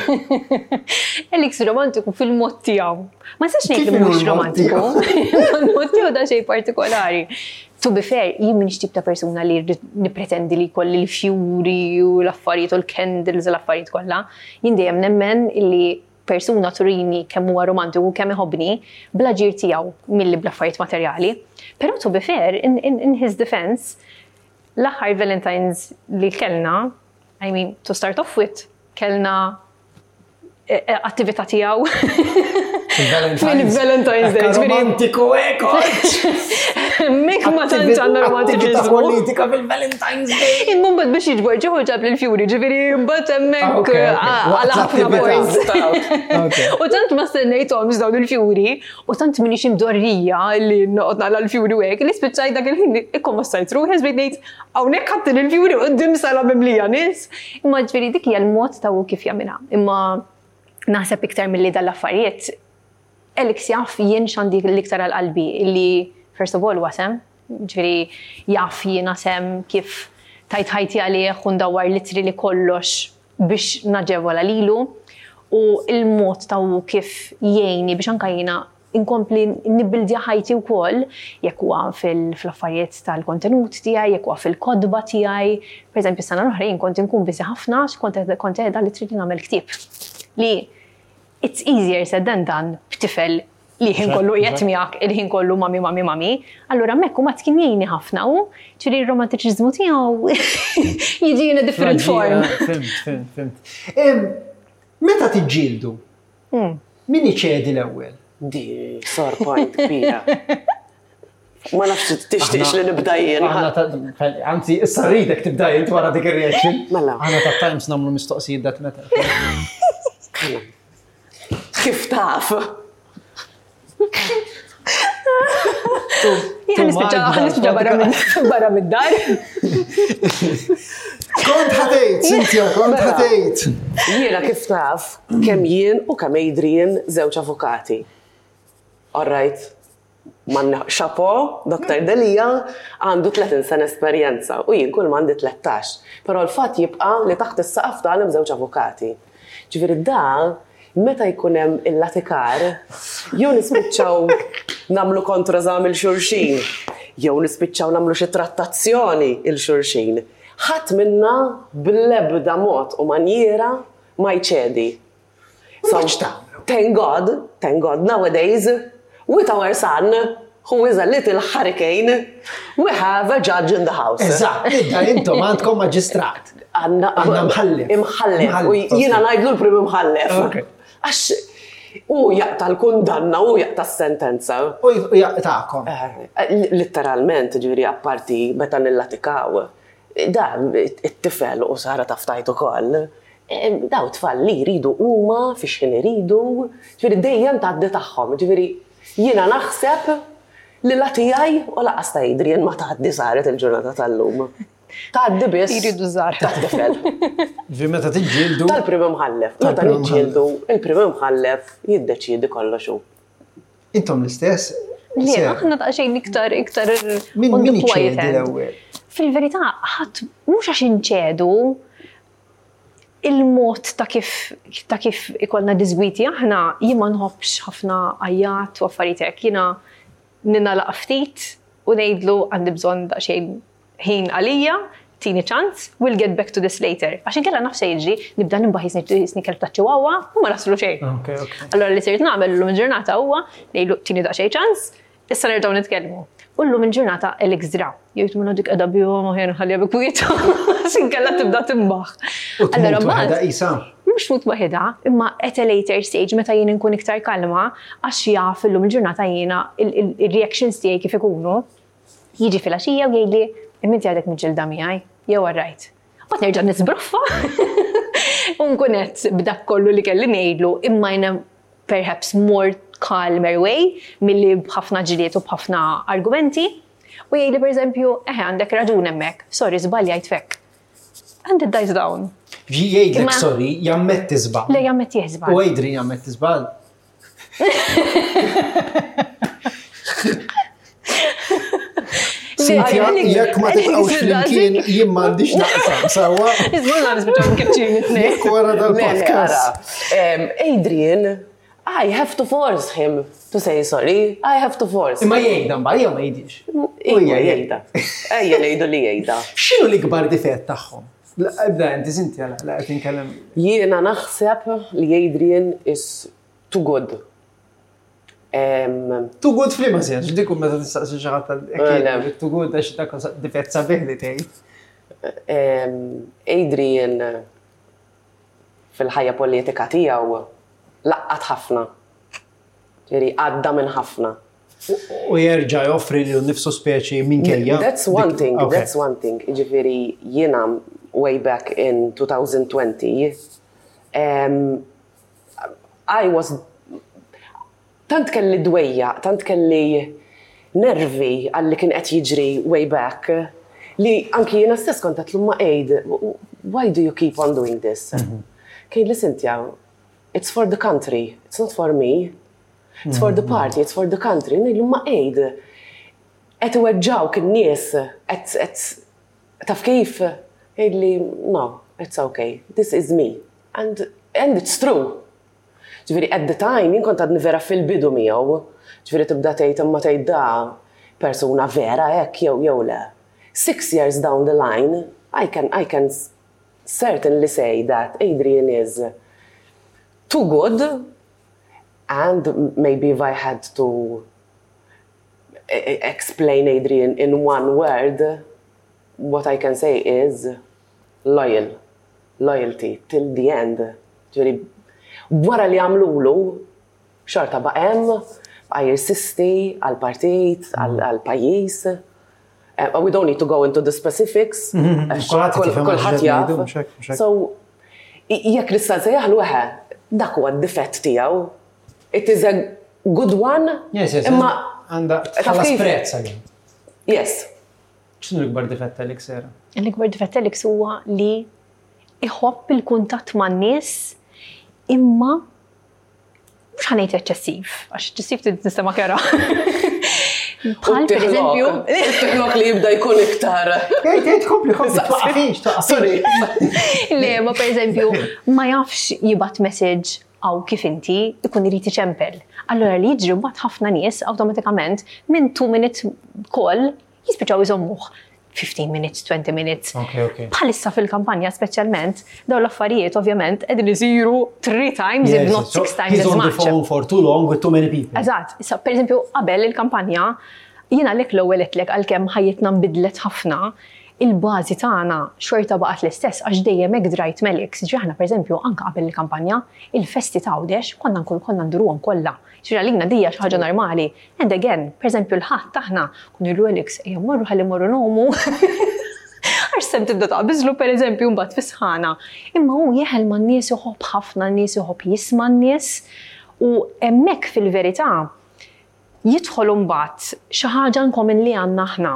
Alex romantiku fil-mod tiegħu. Ma nistax ngħid Kif li inhu mhux l-mod romantiku. Il-mod tiegħu da xejn partikolari. To be fair, jien m'iniex tip ta' persuna li rrid nippretendi li jkolli l-fjuri u l-affarijiet u l-candles u l-affarijiet kollha. Jien dejjem nemmen illi persuna turini kemm huwa romantiku u kemm iħobbni bl-aġir tiegħu milli bl-affarijiet materjali. Però to be fair, in his defense, l-aħħar Valentine's li kellna, I mean, to start off with, kellna attività tiegħu fil-Valentine's Day. Ġifieri, Romantiku eko. Mek ma tantx għandna Attività romantiċiżmu. politika fil-Valentine's Day. Imma mbagħad biex jiġbor ġieħu ġab l-fjuri, ġifieri mbagħad Ah, hemmhekk ok. Waqt għal ħafna l-attività. points. Ok. U tant ma stennejthomx dawn il-fjuri, u tant minix imdorrija li noqgħod naqla l-fjuri u hekk, li spiċċajt dak il-ħin ikkommossajt ruħi bejt ngħid hawnhekk ħadd il-fjuri quddiem sala mimlija nies. Imma ġifieri dik hija l-mod ta' hu kif jagħmilha. Imma naħseb iktar milli dal-affarijiet Alex jaf jien x'għandi l-iktar għal-qalbi illi first of all wasem, ġifieri jaf jiena sem kif tajt ħajti għalih u ndawwar literally kollox biex naġevola lilu u il-mod ta' hu kif jgħinni biex anka jiena inkompli nibbildja ħajti wkoll jekk huwa fil-affarijiet tal-kontenut tiegħi, jekk huwa fil-kotba tiegħi. Per eżempju, sena l-oħra jien kont inkun busy ħafna għax kont qiegħda literally nagħmel ktieb. Li it's easier said than done b'tifel li ħin kollu qiegħed miegħek, il-ħin kollu mami, mami, mami. Allura hemmhekk u ma kien jgħinni ħafna u ġifieri r-romantiċiżmu tiegħu jiġi in a different form. Fhimt, fhimt, fhimt. Meta tiġġieldu, min iċedi l-ewwel? Di sore point kbira. Ma nafx tixtieqx li nibda jien. Aħna ta' Anzi, issa rridek tibda jien wara dik ir-reaction. Mela. Aħna ta' Times nagħmlu mistoqsijiet that matter. Kif taf? Jien nispiċċa barra mid-dar. Kont ħa tgħid, Cynthia, kont Mela. ħa tgħid. Jiena kif taf kemm jien u kemm Adrian żewġ avukati. All right. Man chapeau, Dr. Delia għandu 30 sena esperjenza u jien kull m'għandi 13. Però l-fatt jibqa' li taħt is-saqaf tagħna hemm żewġ avukati. Ġifieri da meta jkun hemm il-latikar, jew nispiċċaw nagħmlu kontroeżami 'l xulxin, jew nispiċċaw nagħmlu xi trattazzjoni 'l xulxin. Ħadd minna bl-ebda mod u manjiera ma jċedi. So, thank God, thank God, nowadays, with our son, who is a little hurricane, we have a judge in the house. Eżatt, idda intom għandkom maġistrat. Għanna Għanna mħallef. Imħallef. U Imħallef, jiena ok. ngħidlu l-prim imħallef. Ok. Għax u jaqta l-kundanna u jaqta s-sentenza. U jaqtakom. Literalment, ġifieri, apparti meta nillatikaw. Da, it-tifel u Sara taftajt ukoll. Daw tfal li jridu huma fiex ħin iridu, ġifieri dejjem tgħaddi tagħhom. Ġifieri jiena naħseb Li la tiegħi u lanqas ta' Adrian ma tgħaddi saret il-ġurnata tal-lum. Tgħaddi biss. Jridu żgħar. Tat-tifel. Ġifieri meta tiġġieldu. Tal-prim imħallef. Meta niġġieldu, il-prim imħallef jiddeċiedi kollox hu. Intom l-istess? Le, aħna daqsxejn iktar iktar Min min iċedi l-ewwel? Fil-verità, ħadd mhux għax inċedu il-mod ta' kif ta' kif ikollna diżgwiti aħna jien ma nħobbx ħafna għajjat u affarijiet hekk. Jiena ningħalaq ftit u ngħidlu għandi bżonn daqsxejn ħin għalija, tini ċans, we'll get back to this later. Għax inkella naf se jiġri, nibda nimbaħ jisni kelb ta' chihuahua u ma naslu xejn. Allora li sirt nagħmel illum il-ġurnata huwa ngħidlu tini daqsxejn ċans, issa nerġgħu nitkellmu. U llum il-ġurnata Alex dra. Jgħid minn dik qiegħda bihom aħjar nħalliha bi kwieta. Għax inkella tibda timbaħ. Allora mbagħad isa. Mhux tmut waħedha, imma at a later stage meta jien inkun iktar kalma, għax jaf illum il-ġurnata jiena il-reactions tiegħi kif ikunu, Jiġi filgħaxija u jgħidli, imma inti għadek miġġielda miegħi, jew all right. Mbagħad nerġa' nisbroffa u nkun qed b'dak kollu li kelli ngħidlu imma in a perhaps more calmer way milli b'ħafna ġlied u b'ħafna argumenti. U jgħidli pereżempju, eħe għandek raġun hemmhekk, sorry żbaljajt f'hekk. And it dies down. Jgħidlek sorry, jammetti żball. Le jammetti żball. U Adrian jammetti żball. Cynthia, jekk ma tibqgħux flimkien jien m'għandix naqsam, sewwa? Iżgur la nispiċċaw mkeċċin it-tnejn. Jekk wara dal-podcast. Adrian, I have to force him to say sorry. I have to force. Imma jgħidha mbagħad jew ma jgħidix. Ejja jgħidha. Ejja ngħidu li jgħidha. X'inhu l-ikbar difett tagħhom? Ibda inti Cynthia, la qed inkellem. Jiena naħseb li Adrian is Too good. Too good f'liema sens, dik meta tistaqsi xi ħadd too good għax dak difett sabiħ li tgħid. Adrian fil-ħajja politika tiegħu laqqat ħafna. Ġifieri għadda minn ħafna. U jerġa' joffri lilu nnifsu speċi minkejja. That's one thing, that's one thing. Ġifieri jiena way back in 2020 I was tant kelli dwejjaq, tant kelli nervi għal li kien qed jiġri way back li anki jiena stess kont għedtlu ma Aid, why do you keep on doing this? Mhm. Kien li Cynthia, it's for the country, it's not for me. It's for the mhm. party, it's for the country. Ngħidlu ma Aid, qed iweġġawk in-nies, qed taf kif? Jgħidli, no, it's okay, this is me. And, and it's true. Ġifieri at the time jien kont għadni vera fil-bidu miegħu. Ġifieri tibda tgħid imma tgħid da persuna vera hekk jew jew le. Six years down the line, I can, I can certainly say that Adrian is too good and maybe if I had to explain Adrian in one word, what I can say is loyal. Loyalty till the end. Ġifieri wara li għamlulu, xorta baqa' hemm, baqa' jirsisti għall-partit, għall-pajjiż. We don't need to go into the specifics. Kulħadd jaf. So, jekk nista' nsejjaħlu eħe, dak huwa d-difett tiegħu. It is a good one. Yes, yes. Imma għandha tħallas prezz għalih. Yes. X'inhu l-ikbar difett t'Alex Sera? L-ikbar difett t'Alex huwa li iħobb il-kuntatt man-nies imma mhux ħa ngħid eċċessiv, għax eċċessiv tinstema' kera. Bħal pereżempju. Tiħlok li jibda jkun iktar. Ejt, ejt, kompli, kompli, twaqafix, Sorry. Le, ma pereżempju, ma jafx jibgħat message hawn kif inti, ikun irid iċempel. Allura li jiġri mbagħad ħafna nies awtomatikament minn 2 minute call jispiċċaw iżommuh 15 minutes, 20 minutes. Okay, okay. Bħalissa fil-kampanja speċjalment, dawn l-affarijiet ovvjament qegħdin isiru 3 times, if not 6 times as much. He's on the phone for too long with too many people. Eżatt. Issa, per eżempju, qabel il-kampanja, jiena għalhekk l-ewwel għedtlek għalkemm ħajjitna nbidlet ħafna, il-bażi tagħna xorta baqgħet l-istess għax dejjem hekk drajt Melix. Ġifieri aħna pereżempju anke qabel il-kampanja, il-festi ta' Għawdex konna nkunu konna nduruhom kollha. Ġifieri għalina di hija xi ħaġa normali. And again, pereżempju l-Ħadd aħna konna ngħidu Alex ejja mmorru ħalli mmorru ngħumu. Għax sem tibda taqbiżlu pereżempju mbagħad fis-sħana. Imma hu jeħel man-nies iħobb ħafna n-nies, iħobb jisma' n-nies u hemmhekk fil-verità. Jidħol imbagħad xi ħaġa in common li għandna aħna.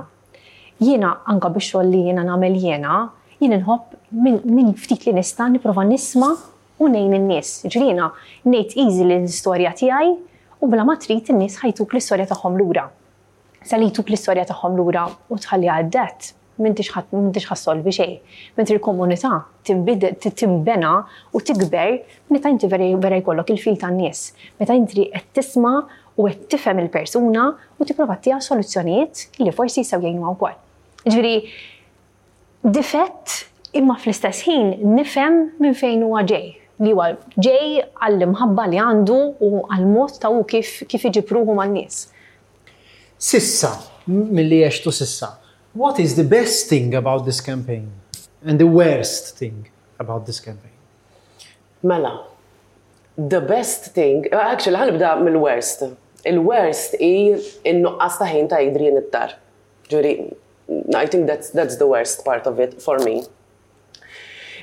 Jiena anke bix-xogħol li jiena nagħmel jiena, jien inħobb minn ftit li nista' nipprova nisma' u ngħin in-nies. Jiġifieri jiena ngħid easily l-istorja tiegħi u bla ma trid in-nies ħa jtuk l-istorja tagħhom lura. Sa li jtuk l-istorja tagħhom lura u tħalliha at that, m'intix ħa m'intix ħa ssolvi xejn. Mentri l-komunità tinbidel tinbena u tikber meta inti vera vera jkollok il-feel tan-nies. Meta inti qed tisma' u qed tifhem il-persuna u tipprova ttiha soluzzjonijiet li forsi jistgħu jgħinuha wkoll. Jiġifieri difett imma fl-istess ħin nifhem minn fejn huwa ġej, li huwa ġej għall-imħabba li għandu u għall-mod ta' hu kif kif iġib ruħu man-nies. S'issa, milli għextu s'issa, what is the best thing about this campaign and the worst thing about this campaign? Mela, the best thing, actually ħa nibda mill-worst. Il-worst hi n-nuqqas ta' ħin ta' Adrian id-dar. Ġifieri, I think that's, that's the worst part of it for me.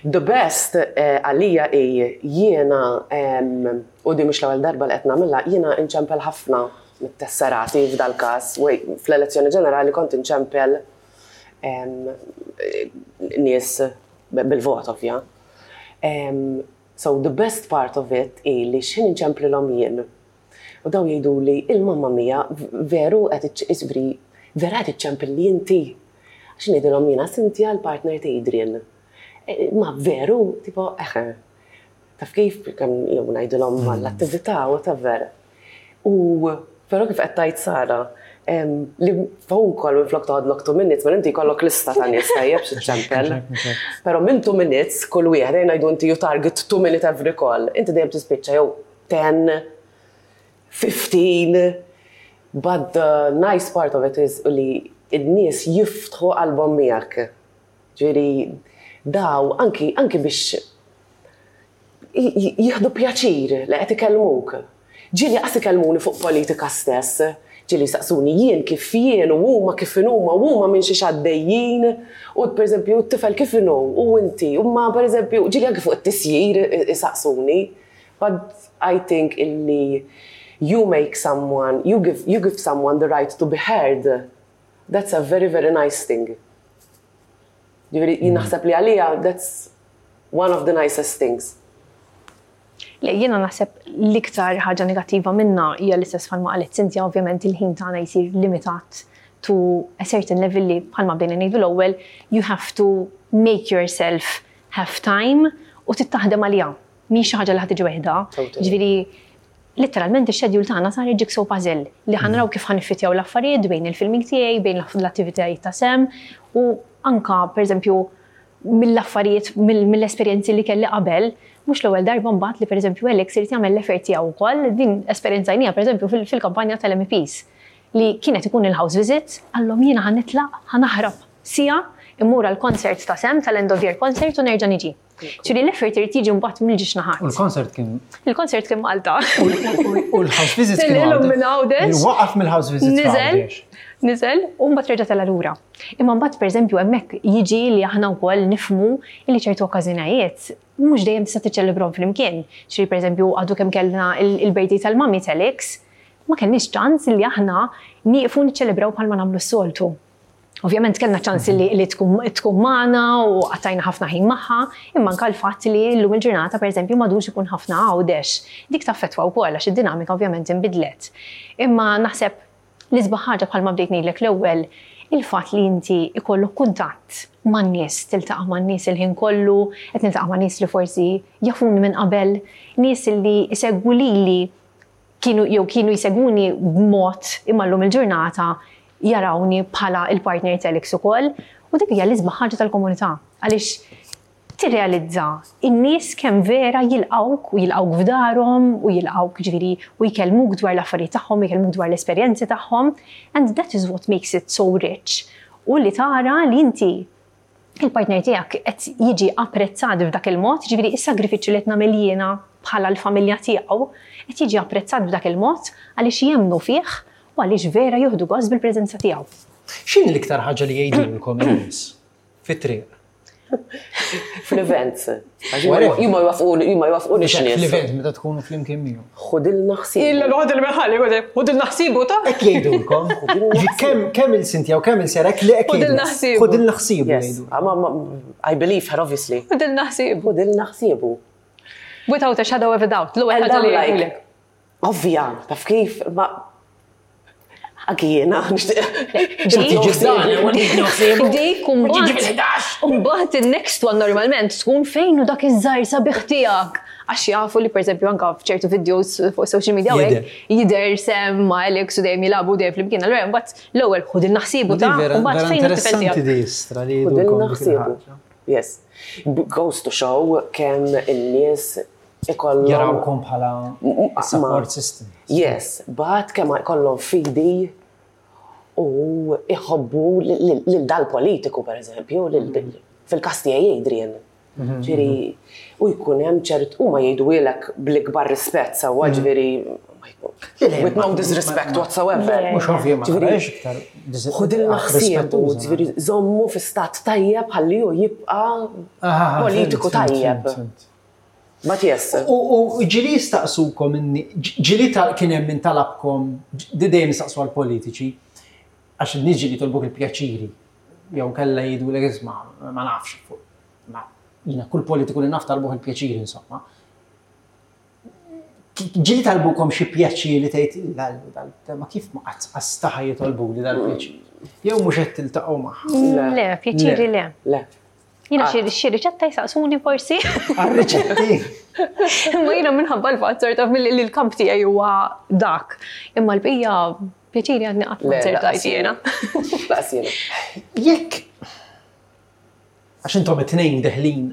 The best eh, għalija hi jiena u di mhux l-ewwel darba li qed nagħmilha, jiena nċempel ħafna mit-tesserati f'dal każ. Fl-elezzjoni ġenerali kont inċempel nies bil-vot ovvja. So the best part of it hi li x'ħin inċemplilhom jien U dawn jgħiduli, il-mamma mia, veru qed iġifieri vera qed iċċempilli inti? Għax ngħidilhom jiena Cynthia l-partner ta' Adrian. E, ma veru, tipo, eħe. Taf kif kemm jew ngħidilhom mm. mal-attività, whatever. U però kif qed tgħid Sara, li phone call minn flok toħodlok 2 minutes, ma inti jkollok lista ta' nies tajjeb xi ċempel. Però minn 2 minutes kull wieħed ngħidu inti you target 2 minute every call, inti dejjem tispiċċa jew 10, 15, but the nice part of it is li n-nies jiftħu qalbhom miegħek. Ġifieri daw anki anki biex jieħdu pjaċir li qed ikellmuk. Ġieli qas ikellmuni fuq politika stess, ġieli jsaqsuni jien kif jien u huma kif inhuma u huma minn xiex għaddejjin u pereżempju t-tifel kif inhu u inti u ma pereżempju ġieli anki fuq it-tisjir isaqsuni. But I think illi you make someone, you give, you give someone the right to be heard, that's a very, very nice thing. Ġifieri, jien naħseb li għalija that's one of the nicest things. Le, jiena naħseb l-iktar ħaġa negattiva minna hija l-istess bħalma qalet Cynthia, ovvjament il-ħin tagħna jsir limitat to a certain level li bħalma bdejna ngħidu l-ewwel, you have to make yourself have time u tittaħdem għaliha. Mhix xi ħaġa li ħa tiġi weħidha. Ġifieri letteralment ix-schedule tagħna sar jigsaw puzzle li ħa naraw kif ħa niffitjaw l-affarijiet bejn il-filming tiegħi, bejn l-attivitajiet ta' Sam u anka pereżempju mill-affarijiet mill-esperjenzi li kelli qabel, mhux l-ewwel darba mbagħad li pereżempju Alex irid jagħmel l-effort tiegħu wkoll, din esperjenzajniha pereżempju fil-kampanja tal-MEPs li kienet ikun il-house visit, qallhom jiena ħa nitlaq, ħa naħrab siegħa, immur għall-concert ta' Sam tal-end of year concert u nerġa' niġi. Ġifieri l-effort irid jiġi mbagħad mill-ġiex naħat. U l-concert kien. Il-concert kien Malta. U l-house visit kien. Illum minn Għawdex. Waqaf mill-house visit. Niżel, niżel, u mbagħad reġa' tela' lura. Imma mbagħad pereżempju hemmhekk jiġi li aħna wkoll nifhmu li ċertu okkażjonajiet mhux dejjem tista' tiċċelebrahom flimkien. Ġifieri pereżempju għadu kemm kellna il-birthday tal-mummy t'Alex, ma kellniex ċans li aħna nieqfu niċċelebraw bħalma nagħmlu s-soltu. Ovvjament kellna ċans li, li tkun, tkun magħna u qattajna ħafna ħin magħha, imma anke l-fatt li llum il-ġurnata pereżempju m'għadux ikun ħafna Għawdex. Dik taffettwa wkoll għax id-dinamika ovvjament inbidlet. Imma naħseb l-isbaħ ħaġa bħalma bdejt ngħidlek l-ewwel, il-fatt li inti ikollok kuntatt man-nies, tiltaqa' man-nies il-ħin kollu, qed niltaqa' ma' nies li forsi jafuni minn qabel, nies li jsegwu lili kienu jew kienu jsegwuni b'mod imma llum il-ġurnata jarawni bħala l-partner t'Alex ukoll u dik hija l-isbaħ ħaġa tal-komunità għaliex tirrealizza n-nies kemm vera jilqgħuk u jilqgħuk f'darhom u jilqgħuk ġifieri u jkellmuk dwar l-affarijiet tagħhom, jkellmuk dwar l-esperjenzi tagħhom and that is what makes it so rich u li tara li inti il-partner tiegħek qed jiġi apprezzat f'dak il-mod, jiġifieri s-sagrifiċċju li qed nagħmel jiena bħala l-familja tiegħu qed jiġi apprezzat b'dak il-mod għaliex jemmnu fih u għaliex vera jieħdu gost bil-preżenza tiegħu. X'inhi l-iktar ħaġa li jgħidulkom in-nies fit-triq? Fl-events. Għax jien ma jwafquni, jien ma jwafquni x'nies. Fl-event meta tkunu flimkien miegħu. Ħudilna ħsieb. Illa noħod il-meħalli, ħudilna ħsiebu ta' Hekk jgħidulkom. Kemm il-Sintja u kemm il-Serek li hekk Ħudilna ħsiebu. Ħudilna ħsiebu jgħidu. I believe her obviously. Ħudilna ħsiebu. Ħudilna ħsiebu. Without a shadow of a doubt, l-ewwel ħaġa li jgħidulek. Ovvja, taf kif, ma Anki jiena, nixtieq. Dik mbagħad in-next one normalment tkun fejn u dak iż-żgħir sabiħ tiegħek. Għax jafu li pereżempju anke f'ċertu videos fuq social media jidher sem ma' Alex u dejjem jilagħbu dejjem flimkien. Allura mbagħad l-ewwel ħudilna ħsiebu ta' mbagħad fejn it-tifel tiegħek. Ħudilna ħsiebu. Yes. Goes to show kemm in-nies ikollhom. Jarawkom bħala support system. Yes, but kemm ikollhom fidi u iħobbu lil dal-politiku per eżempju, fil-każ tiegħi Adrian. Mhm. Ġifieri, u jkun hemm ċert huma jgħiduhielek bl-ikbar rispett sewwa mhm. ġifieri with no disrespect whatsoever. Mhux ovvju ma iktar. Ħudilna ħsiebu, ġifieri żommu fi stat tajjeb ħalli hu jibqa' politiku tajjeb. But yes. U ġili jistaqsukom inni, ġili kien hemm min talabkom, di dejjem jistaqsu għall-politiċi, għax in-nies ġili jitolbuk il-pjaċiri, jew kellha jgħidulek isma' ma nafx fuq. Ma jiena kull politiku li naf talbuh il-pjaċiri insomma. Ġili talbukom xi pjaċiri tgħid ma kif ma qatt qastaħa jitolbuli dal-pjaċir. Jew mhux qed tiltaqgħu magħha. Le, pjaċiri le. Le. Jiena xi xi riċetta jsaqsuni forsi. Għar-riċetti. Imma jiena minħabba l-fatt sort of li l-kamp tiegħi huwa dak. Imma l-bqija pjaċiri għadni qatt ma nzertajt jiena. Laqas jiena. Jekk għax intom it-tnejn deħlin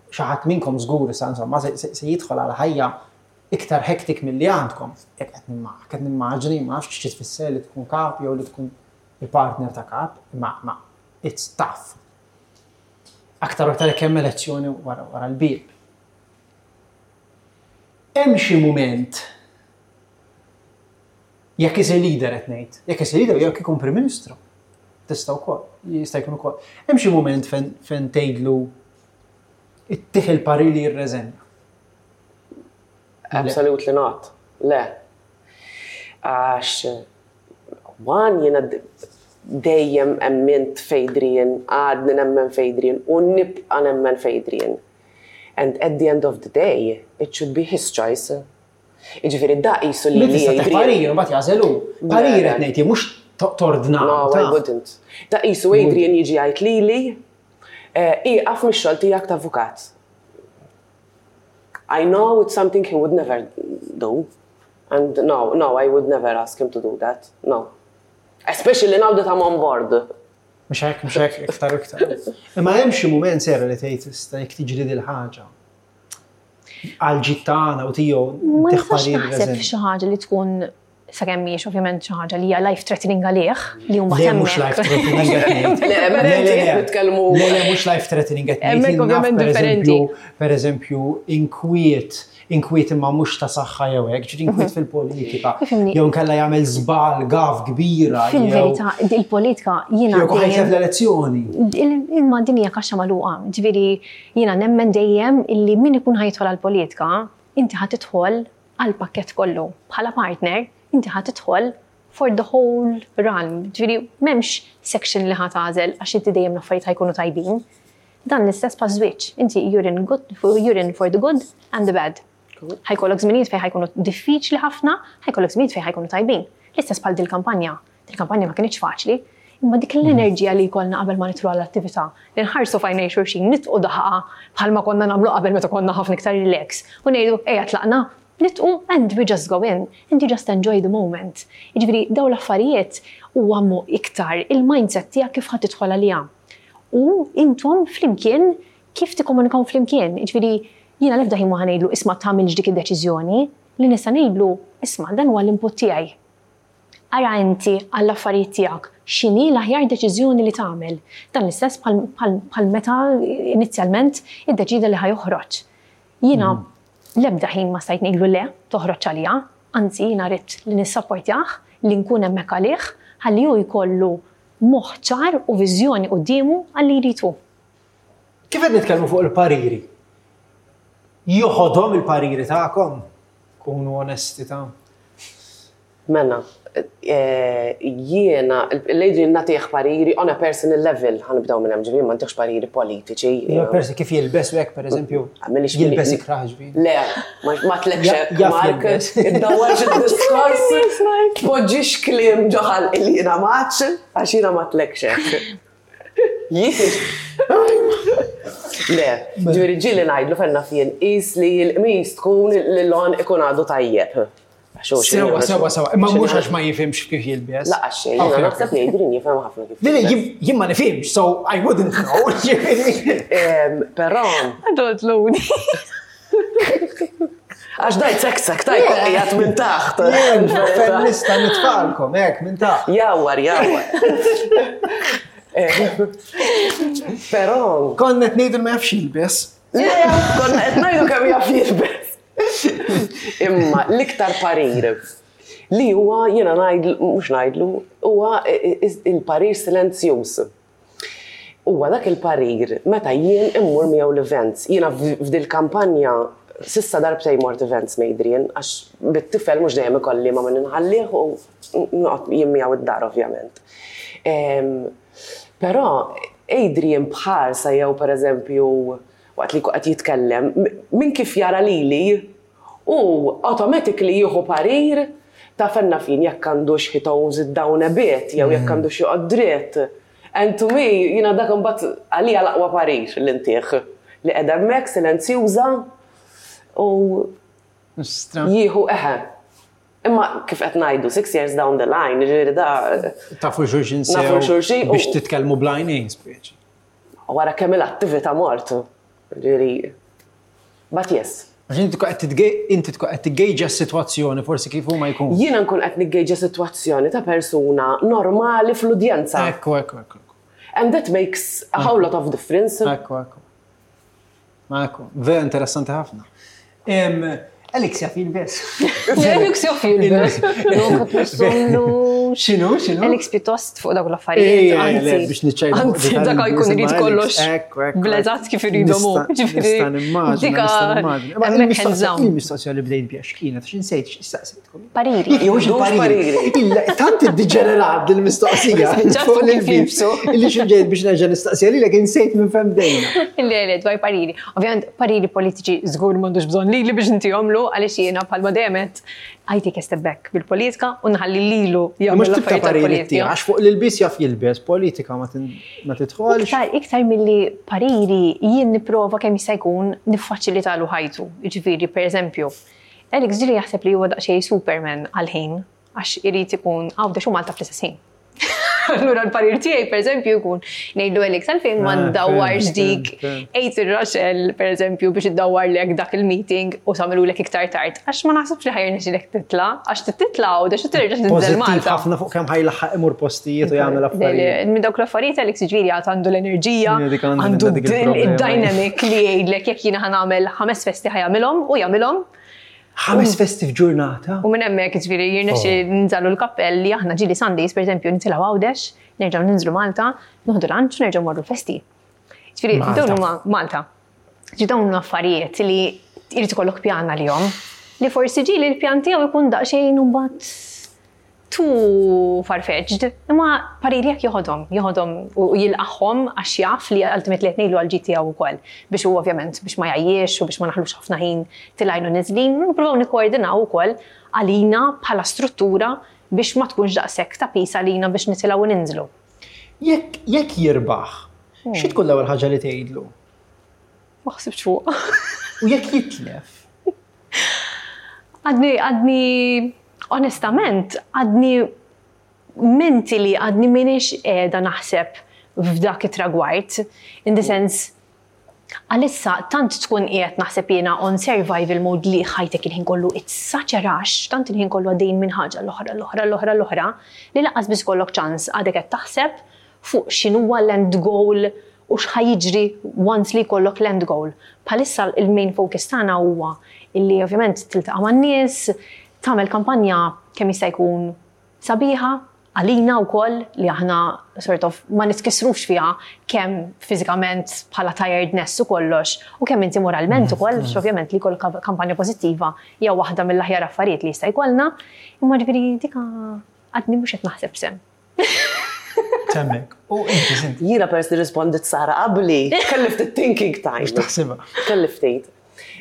xi ħadd minnkom żgur issa insomma se jidħol għal ħajja iktar hectic milli għandkom. Jekk qed nimmaġni ma nafx xi tfisser li tkun kap jew li tkun il-partner ta' kap, imma It's tough. Aktar u aktar jekk hemm elezzjoni wara wara l-bieb. Hemm xi mument jekk isir leader qed ngħid, jekk isir leader jekk ikun Prim Ministru. Tista' wkoll, jista' jkun ukoll. Hemm xi mument fejn fejn tgħidlu ittih il-parir li jirreżenja. Absolutely not. Le. Għax One, jiena dejjem emmint f'Adrian, għadni nemmen f'Adrian u nibqa' nemmen f'Adrian. And at the end of the day, it should be his choice. Jiġifieri da qisu lili Adrian. Tista' parir u mbagħad jagħżel hu. Parir qed ngħid jien mhux tordna. No, I wouldn't. Da qisu Adrian jiġi jgħid lili, ieqaf mix-xogħol tiegħek ta' avukat. I know it's something he would never do. And no, no, I would never ask him to do that. No. Especially now that I'm on board. Mhux hekk, mhux hekk, iktar u iktar. Imma hemm xi mument sera li tgħid issa jekk tiġri dil ħaġa. Għal ġid tagħna u tiegħu Ma nistax naħseb f'xi ħaġa li tkun sakemm mhijiex ovvjament xi ħaġa li hija life threatening għalih li huma Le mhux life threatening qed ngħid. Le, le, le, nitkellmu. Le, le, mhux life threatening qed ngħid. Hemmhekk ovvjament differenti. Per eżempju, inkwiet inkwiet imma mhux ta' saħħa jew hekk, ġifieri inkwiet mhm. fil-politika. Jew nkella jagħmel żball gaf kbira. Fil-verità, il-politika jiena. Jew ħajtef l-elezzjoni. Imma din hija kaxxa magħluqa. Ġifieri jiena nemmen dejjem illi min ikun ħajidħol għall-politika, inti ħa tidħol għall-pakkett kollu. Bħala partner, inti ħa tidħol for the whole run. Ġifieri m'hemmx section li ħa tagħżel għax inti dejjem l-affarijiet ħajkunu tajbin. Dan l-istess bħaż-żwieġ. Inti you're in good, you're in for the good and the bad. Ħajkollok żminijiet fejn ħajkunu diffiċli ħafna, ħajkollok żminijiet fejn ħajkunu tajbin. L-istess bħal dil-kampanja. Dil-kampanja ma kinitx faċli, imma dik l-enerġija li jkollna qabel ma nidħlu għall-attività, li nħarsu f'għajnejn xulxin, nitqu daħqa bħalma konna nagħmlu qabel meta konna ħafna iktar relax u ngħidu ejja tlaqna, nitqu and we just go in and you just enjoy the moment. Jiġifieri dawn l-affarijiet huwa iktar il-mindset tiegħek kif ħa tidħol għaliha. U intom flimkien kif tikkomunikaw flimkien. Jiġifieri jiena l-ebda ħin ma ħa ngħidlu isma' tagħmilx dik id-deċiżjoni, li nista' ngħidlu isma' dan huwa l-input tiegħi. Ara inti għall-affarijiet tiegħek x'inhi l-aħjar deċiżjoni li tagħmel. Dan l-istess bħal meta inizjalment iddeċieda li ħa joħroġ. Jiena l-ebda ħin ma stajt ngħidlu le, toħroġx għalija, anzi jiena ridt li nissapportjah, li nkun hemmhekk għalih, ħalli hu jkollu moħħ ċar u viżjoni quddiemu għal li jrid hu. Kif qed nitkellmu fuq il-pariri? Joħodhom il-pariri tagħkom? Kunu onesti ta'. Mela, jiena, l-Adrian nagħtih pariri on a personal level, ħa nibdew minn hemm, ġifieri ma ntihx pariri politiċi. Persi kif jilbes u hekk pereżempju. Jilbes ikrah ġifieri. Le, ma tlekx hekk, Mark. Iddawwarx id-diskors, tpoġġix kliem ġo ħalqi li jiena m'għadx, għax jiena ma tlekx hekk. Jien. Le, ġifieri ġieli ngħidlu fejn naf jien qis li l-qmis tkun l-għonq ikun għadu tajjeb. Sewa, sewa, sewa. Imma mhux għax ma jifhimx kif jilbes. Laqas xejn, jiena naħseb li Adrian jifhem ħafna kif. Le, jien ma nifhimx, so I wouldn't know. Però. Adult luni. Għax dajt seksek, tajt qiegħed minn taħt. Jien fejn nista' nitfalkom hekk minn taħt. Jawwar, jawwar. Però. Konna qed ngħidu ma jafx jilbes. Le, konna qed ngħidu kemm jaf jilbes. Imma l-iktar parir li huwa jiena ngħidlu, mhux ngħidlu, huwa il-parir silenzjuż. Huwa dak il-parir meta jien immur miegħu l-events. Jiena f'dil-kampanja s'issa darbtejn mort events ma' Adrian għax bit-tifel mhux dejjem ikolli ma' min inħallih u noqgħod jien miegħu id-dar ovvjament. Però Adrian b'ħarsa jew pereżempju waqt li jkun qed jitkellem, minn kif jara lili, hu automatically jieħu parir ta' fejn naf jien jekk għandux he tones it down a bit jew jekk għandux joqgħod dritt. And to me, jiena dak imbagħad għalija l-aqwa parir li ntih. Li qiegħda hemmhekk silenzjuża u jieħu eħe. Imma kif qed ngħidu, six years down the line, jiġifieri da. Tafu xulxin sew. Nafu xulxin. Biex titkellmu bl-għajnejn speċi. Wara kemm il-attività mort, ġifieri. But yes. Għax inti tkun qed inti tkun qed tiggejġa s-sitwazzjoni forsi kif huma jkun. Jiena nkun qed niggejġa sitwazzjoni ta' persuna normali fl-udjenza. Ekku, ekku, ekku. And that makes a whole lot of difference. Ekku, ekku. Ekku, vera interessanti ħafna. Alex jaf jilbes. Alex jaf jilbes. X'inhu, x'inhu? Alex pjuttost fuq dawk l-affarijiet. Anzi, biex niċċajta. Anzi, dak jkun irid kollox. Bleżat kif iridhom hu. Nista' nimmaġina. Il-mistoqsija li bdejt biha x'kienet, għax insejt x'istaqsejtkom. Pariri. Jew xi pariri. Tant iddiġenerat dil-mistoqsija. Fuq l-ilbsu. Illi xi ġejt biex nerġa' nistaqsija lilek insejt minn fejn bdejna. Le, le, dwar pariri. Ovvjament, pariri politiċi żgur m'għandux bżonn lili biex intihomlu għaliex jiena bħalma dejjem għedt I take a step back bil-politika u nħalli lilu jagħmel Mhux tibta pariri tiegħek, għax fuq l-ilbies jaf jilbes, politika ma tidħolx. Iktar, iktar milli pariri jien nipprova kemm jista' jkun niffaċilitalu ħajtu. Jiġifieri, pereżempju, Alex ġieli jaħseb li huwa daqsxejn Superman għall-ħin għax irid ikun Għawdex u Malta fl-istess ħin. Allura l-parir tiegħi pereżempju jkun ngħidlu Alex għalfejn ma ah, ndawwarx dik għid ir-Raxel pereżempju biex iddawwarlek dak il-meeting u tagħmilulek iktar tard. Għax ma naħsibx li ħajr nixilek titla' għax titla' Għawdex u terġa' tinżel Malta. ħafna fuq kemm ħajlaħħaq imur postijiet u jagħmel affarijiet. Minn dawk l-affarijiet Alex jiġifieri għad għandu l-enerġija, għandu id-dynamic li jgħidlek jekk jiena ħa nagħmel ħames festi ħa jagħmilhom u jagħmilhom. Ħames festi f'ġurnata. U minn hemmhekk jiġifieri jirnexxi oh. nżallu l-kappell li aħna ġieli Sundays pereżempju nitilgħu Għawdex, nerġgħu ninżlu Malta, noħdu lunch u nerġgħu morru l-festi. Jiġifieri dawn huma Malta. Ġi dawn huma affarijiet li jrid ikollok pjan għalihom. Li forsi ġieli l-pjan tiegħu jkun daqsxejn u mbagħad too far-fetched, imma pariri jekk joħodhom, joħodhom u jilqagħhom għax jaf li ultimately qed ngħidlu għall-ġid tiegħu wkoll biex hu ovvjament biex ma jgħajjiex u biex ma naħlux ħafna ħin tilgħin u niżlin, nippruvaw nikkoordinaw ukoll għalina bħala struttura biex ma tkunx daqshekk ta' piż għalina biex nitilgħu u ninżlu. Jekk jekk jirbaħ, xi tkun l-ewwel ħaġa li tgħidlu? Ma ħsibtx fuqha. U jekk jitlef? Għadni, għadni, onestament, għadni mentally għadni minix qiegħda naħseb f'dak it-tragward. In the sense, għalissa tant tkun qiegħed naħseb jiena on survival mode li ħajtek il-ħin kollu it's such a rush, tant il-ħin kollu għaddejjin minn ħaġa l-oħra, l-oħra, l-oħra, l-oħra, li lanqas biss ikollok ċans għadek qed taħseb fuq x'inhuwa l-end goal u x'ħa jiġri once li jkollok l-end goal. Bħalissa il-main focus tagħna huwa illi ovvjament tiltaqa' man-nies, tagħmel kampanja kemm jista' jkun sabiħa, għalina wkoll li aħna sort of ma nitkissrux fiha kemm fiżikament bħala tiredness u kollox u kemm inti moralment ukoll, mm. ovvjament li jkollok kampanja pożittiva hija waħda mill-aħjar affarijiet li jista' jkollna, imma ġifieri dika għadni mhux qed naħseb sem. Temmek. U inti sinti. Jiena peress li rispondit Sara qabli, kelli ftit thinking time. Biex taħsibha. Kelli ftit.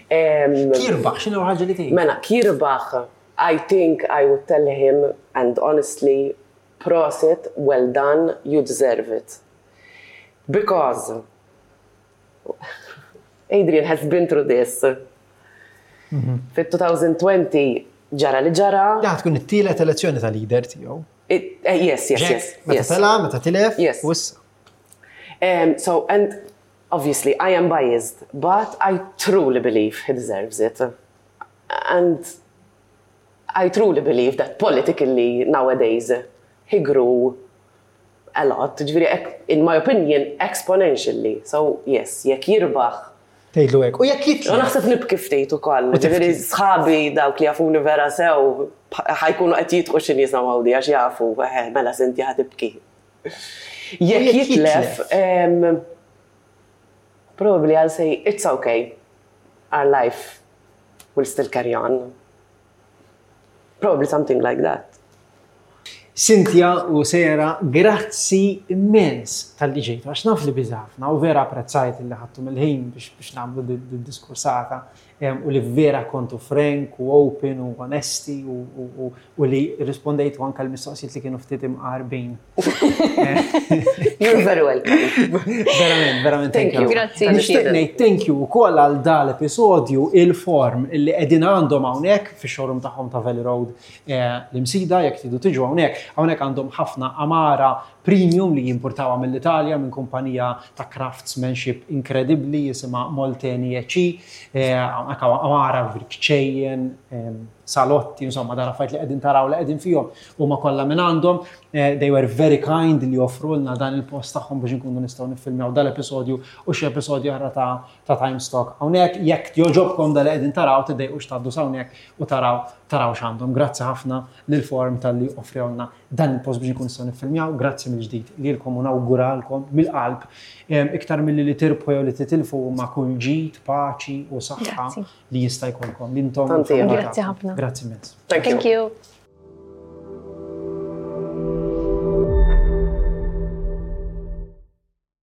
Kirbaħ, x'inhu ħaġa li tgħid? Mela, kirbaħ, I think I would tell him and honestly, prosit, well done, you deserve it. Because Adrian has been through this. Mhm. Fit-2020 ġara li ġara. Da tkun it-tielet elezzjoni ta' leader tiegħu. Eh, yes, yes, yes. Meta tela, meta tilef, yes. Um, so, and obviously I am biased, but I truly believe he deserves it. And I truly believe that politically nowadays he grew a lot, ġifieri in my opinion exponentially. So yes, jekk jirbaħ. Tgħidlu hekk. U jekk jitlef. U naħseb nibki ftit ukoll. Ġifieri sħabi dawk li jafuni vera sew ħajkunu qed jitqu xi nies għawdi għax jafu, eh, mela sinti ħa tibki. Jekk jitlef, probably I'll say it's okay. Our life will still carry on. Probably something like that. Cynthia u Sera, grazzi immens tal-li ġejtu, għax naf li biżi ħafna u vera apprezzajt li ħadtu mill-ħin biex biex nagħmlu d-diskursata u li vera kontu frank u open u onesti u li rispondejtu anke l-mistoqsijiet li kienu ftit imqarbin. You're very welcome. Verament, verament, thank you. Grazzi. Nixtieq ngħid thank you wkoll għal dal episodju il-form illi qegħdin għandhom hawnhekk fix-showroom tagħhom ta' Valley Road eh, l-Imsida jekk tridu tiġu hawnhekk. Hawnhekk għandhom ħafna amara premium li jimpurtawha mill-Italja minn kumpanija ta' craftsmanship inkredibbli jisimha Molteni EC. Eh, hawnhekk amara vrikċejjen, eh, salotti, insomma, dan affarijiet li qegħdin taraw li qegħdin fihom huma kollha minn għandhom. Eh, they were very kind li joffrulna dan il-post tagħhom biex inkunu nistgħu niffilmjaw dal-episodju u xi episodju oħra ta' ta' Time Stock. Hawnhekk jekk jogħġobkom dal qegħdin taraw tiddejqux tgħaddu hawnhekk u taraw taraw x'għandhom. Grazzi ħafna lil form talli offrewlna dan il-post biex inkunu nistgħu niffilmjaw. Grazzi mill-ġdid lilkom u nawguralkom mill-qalb iktar milli li tirbħu jew li titilfu huma kull ġid, paċi u saħħa li jista' jkollkom. Intom. Grazzi ħafna. Grazzi immens. Thank you.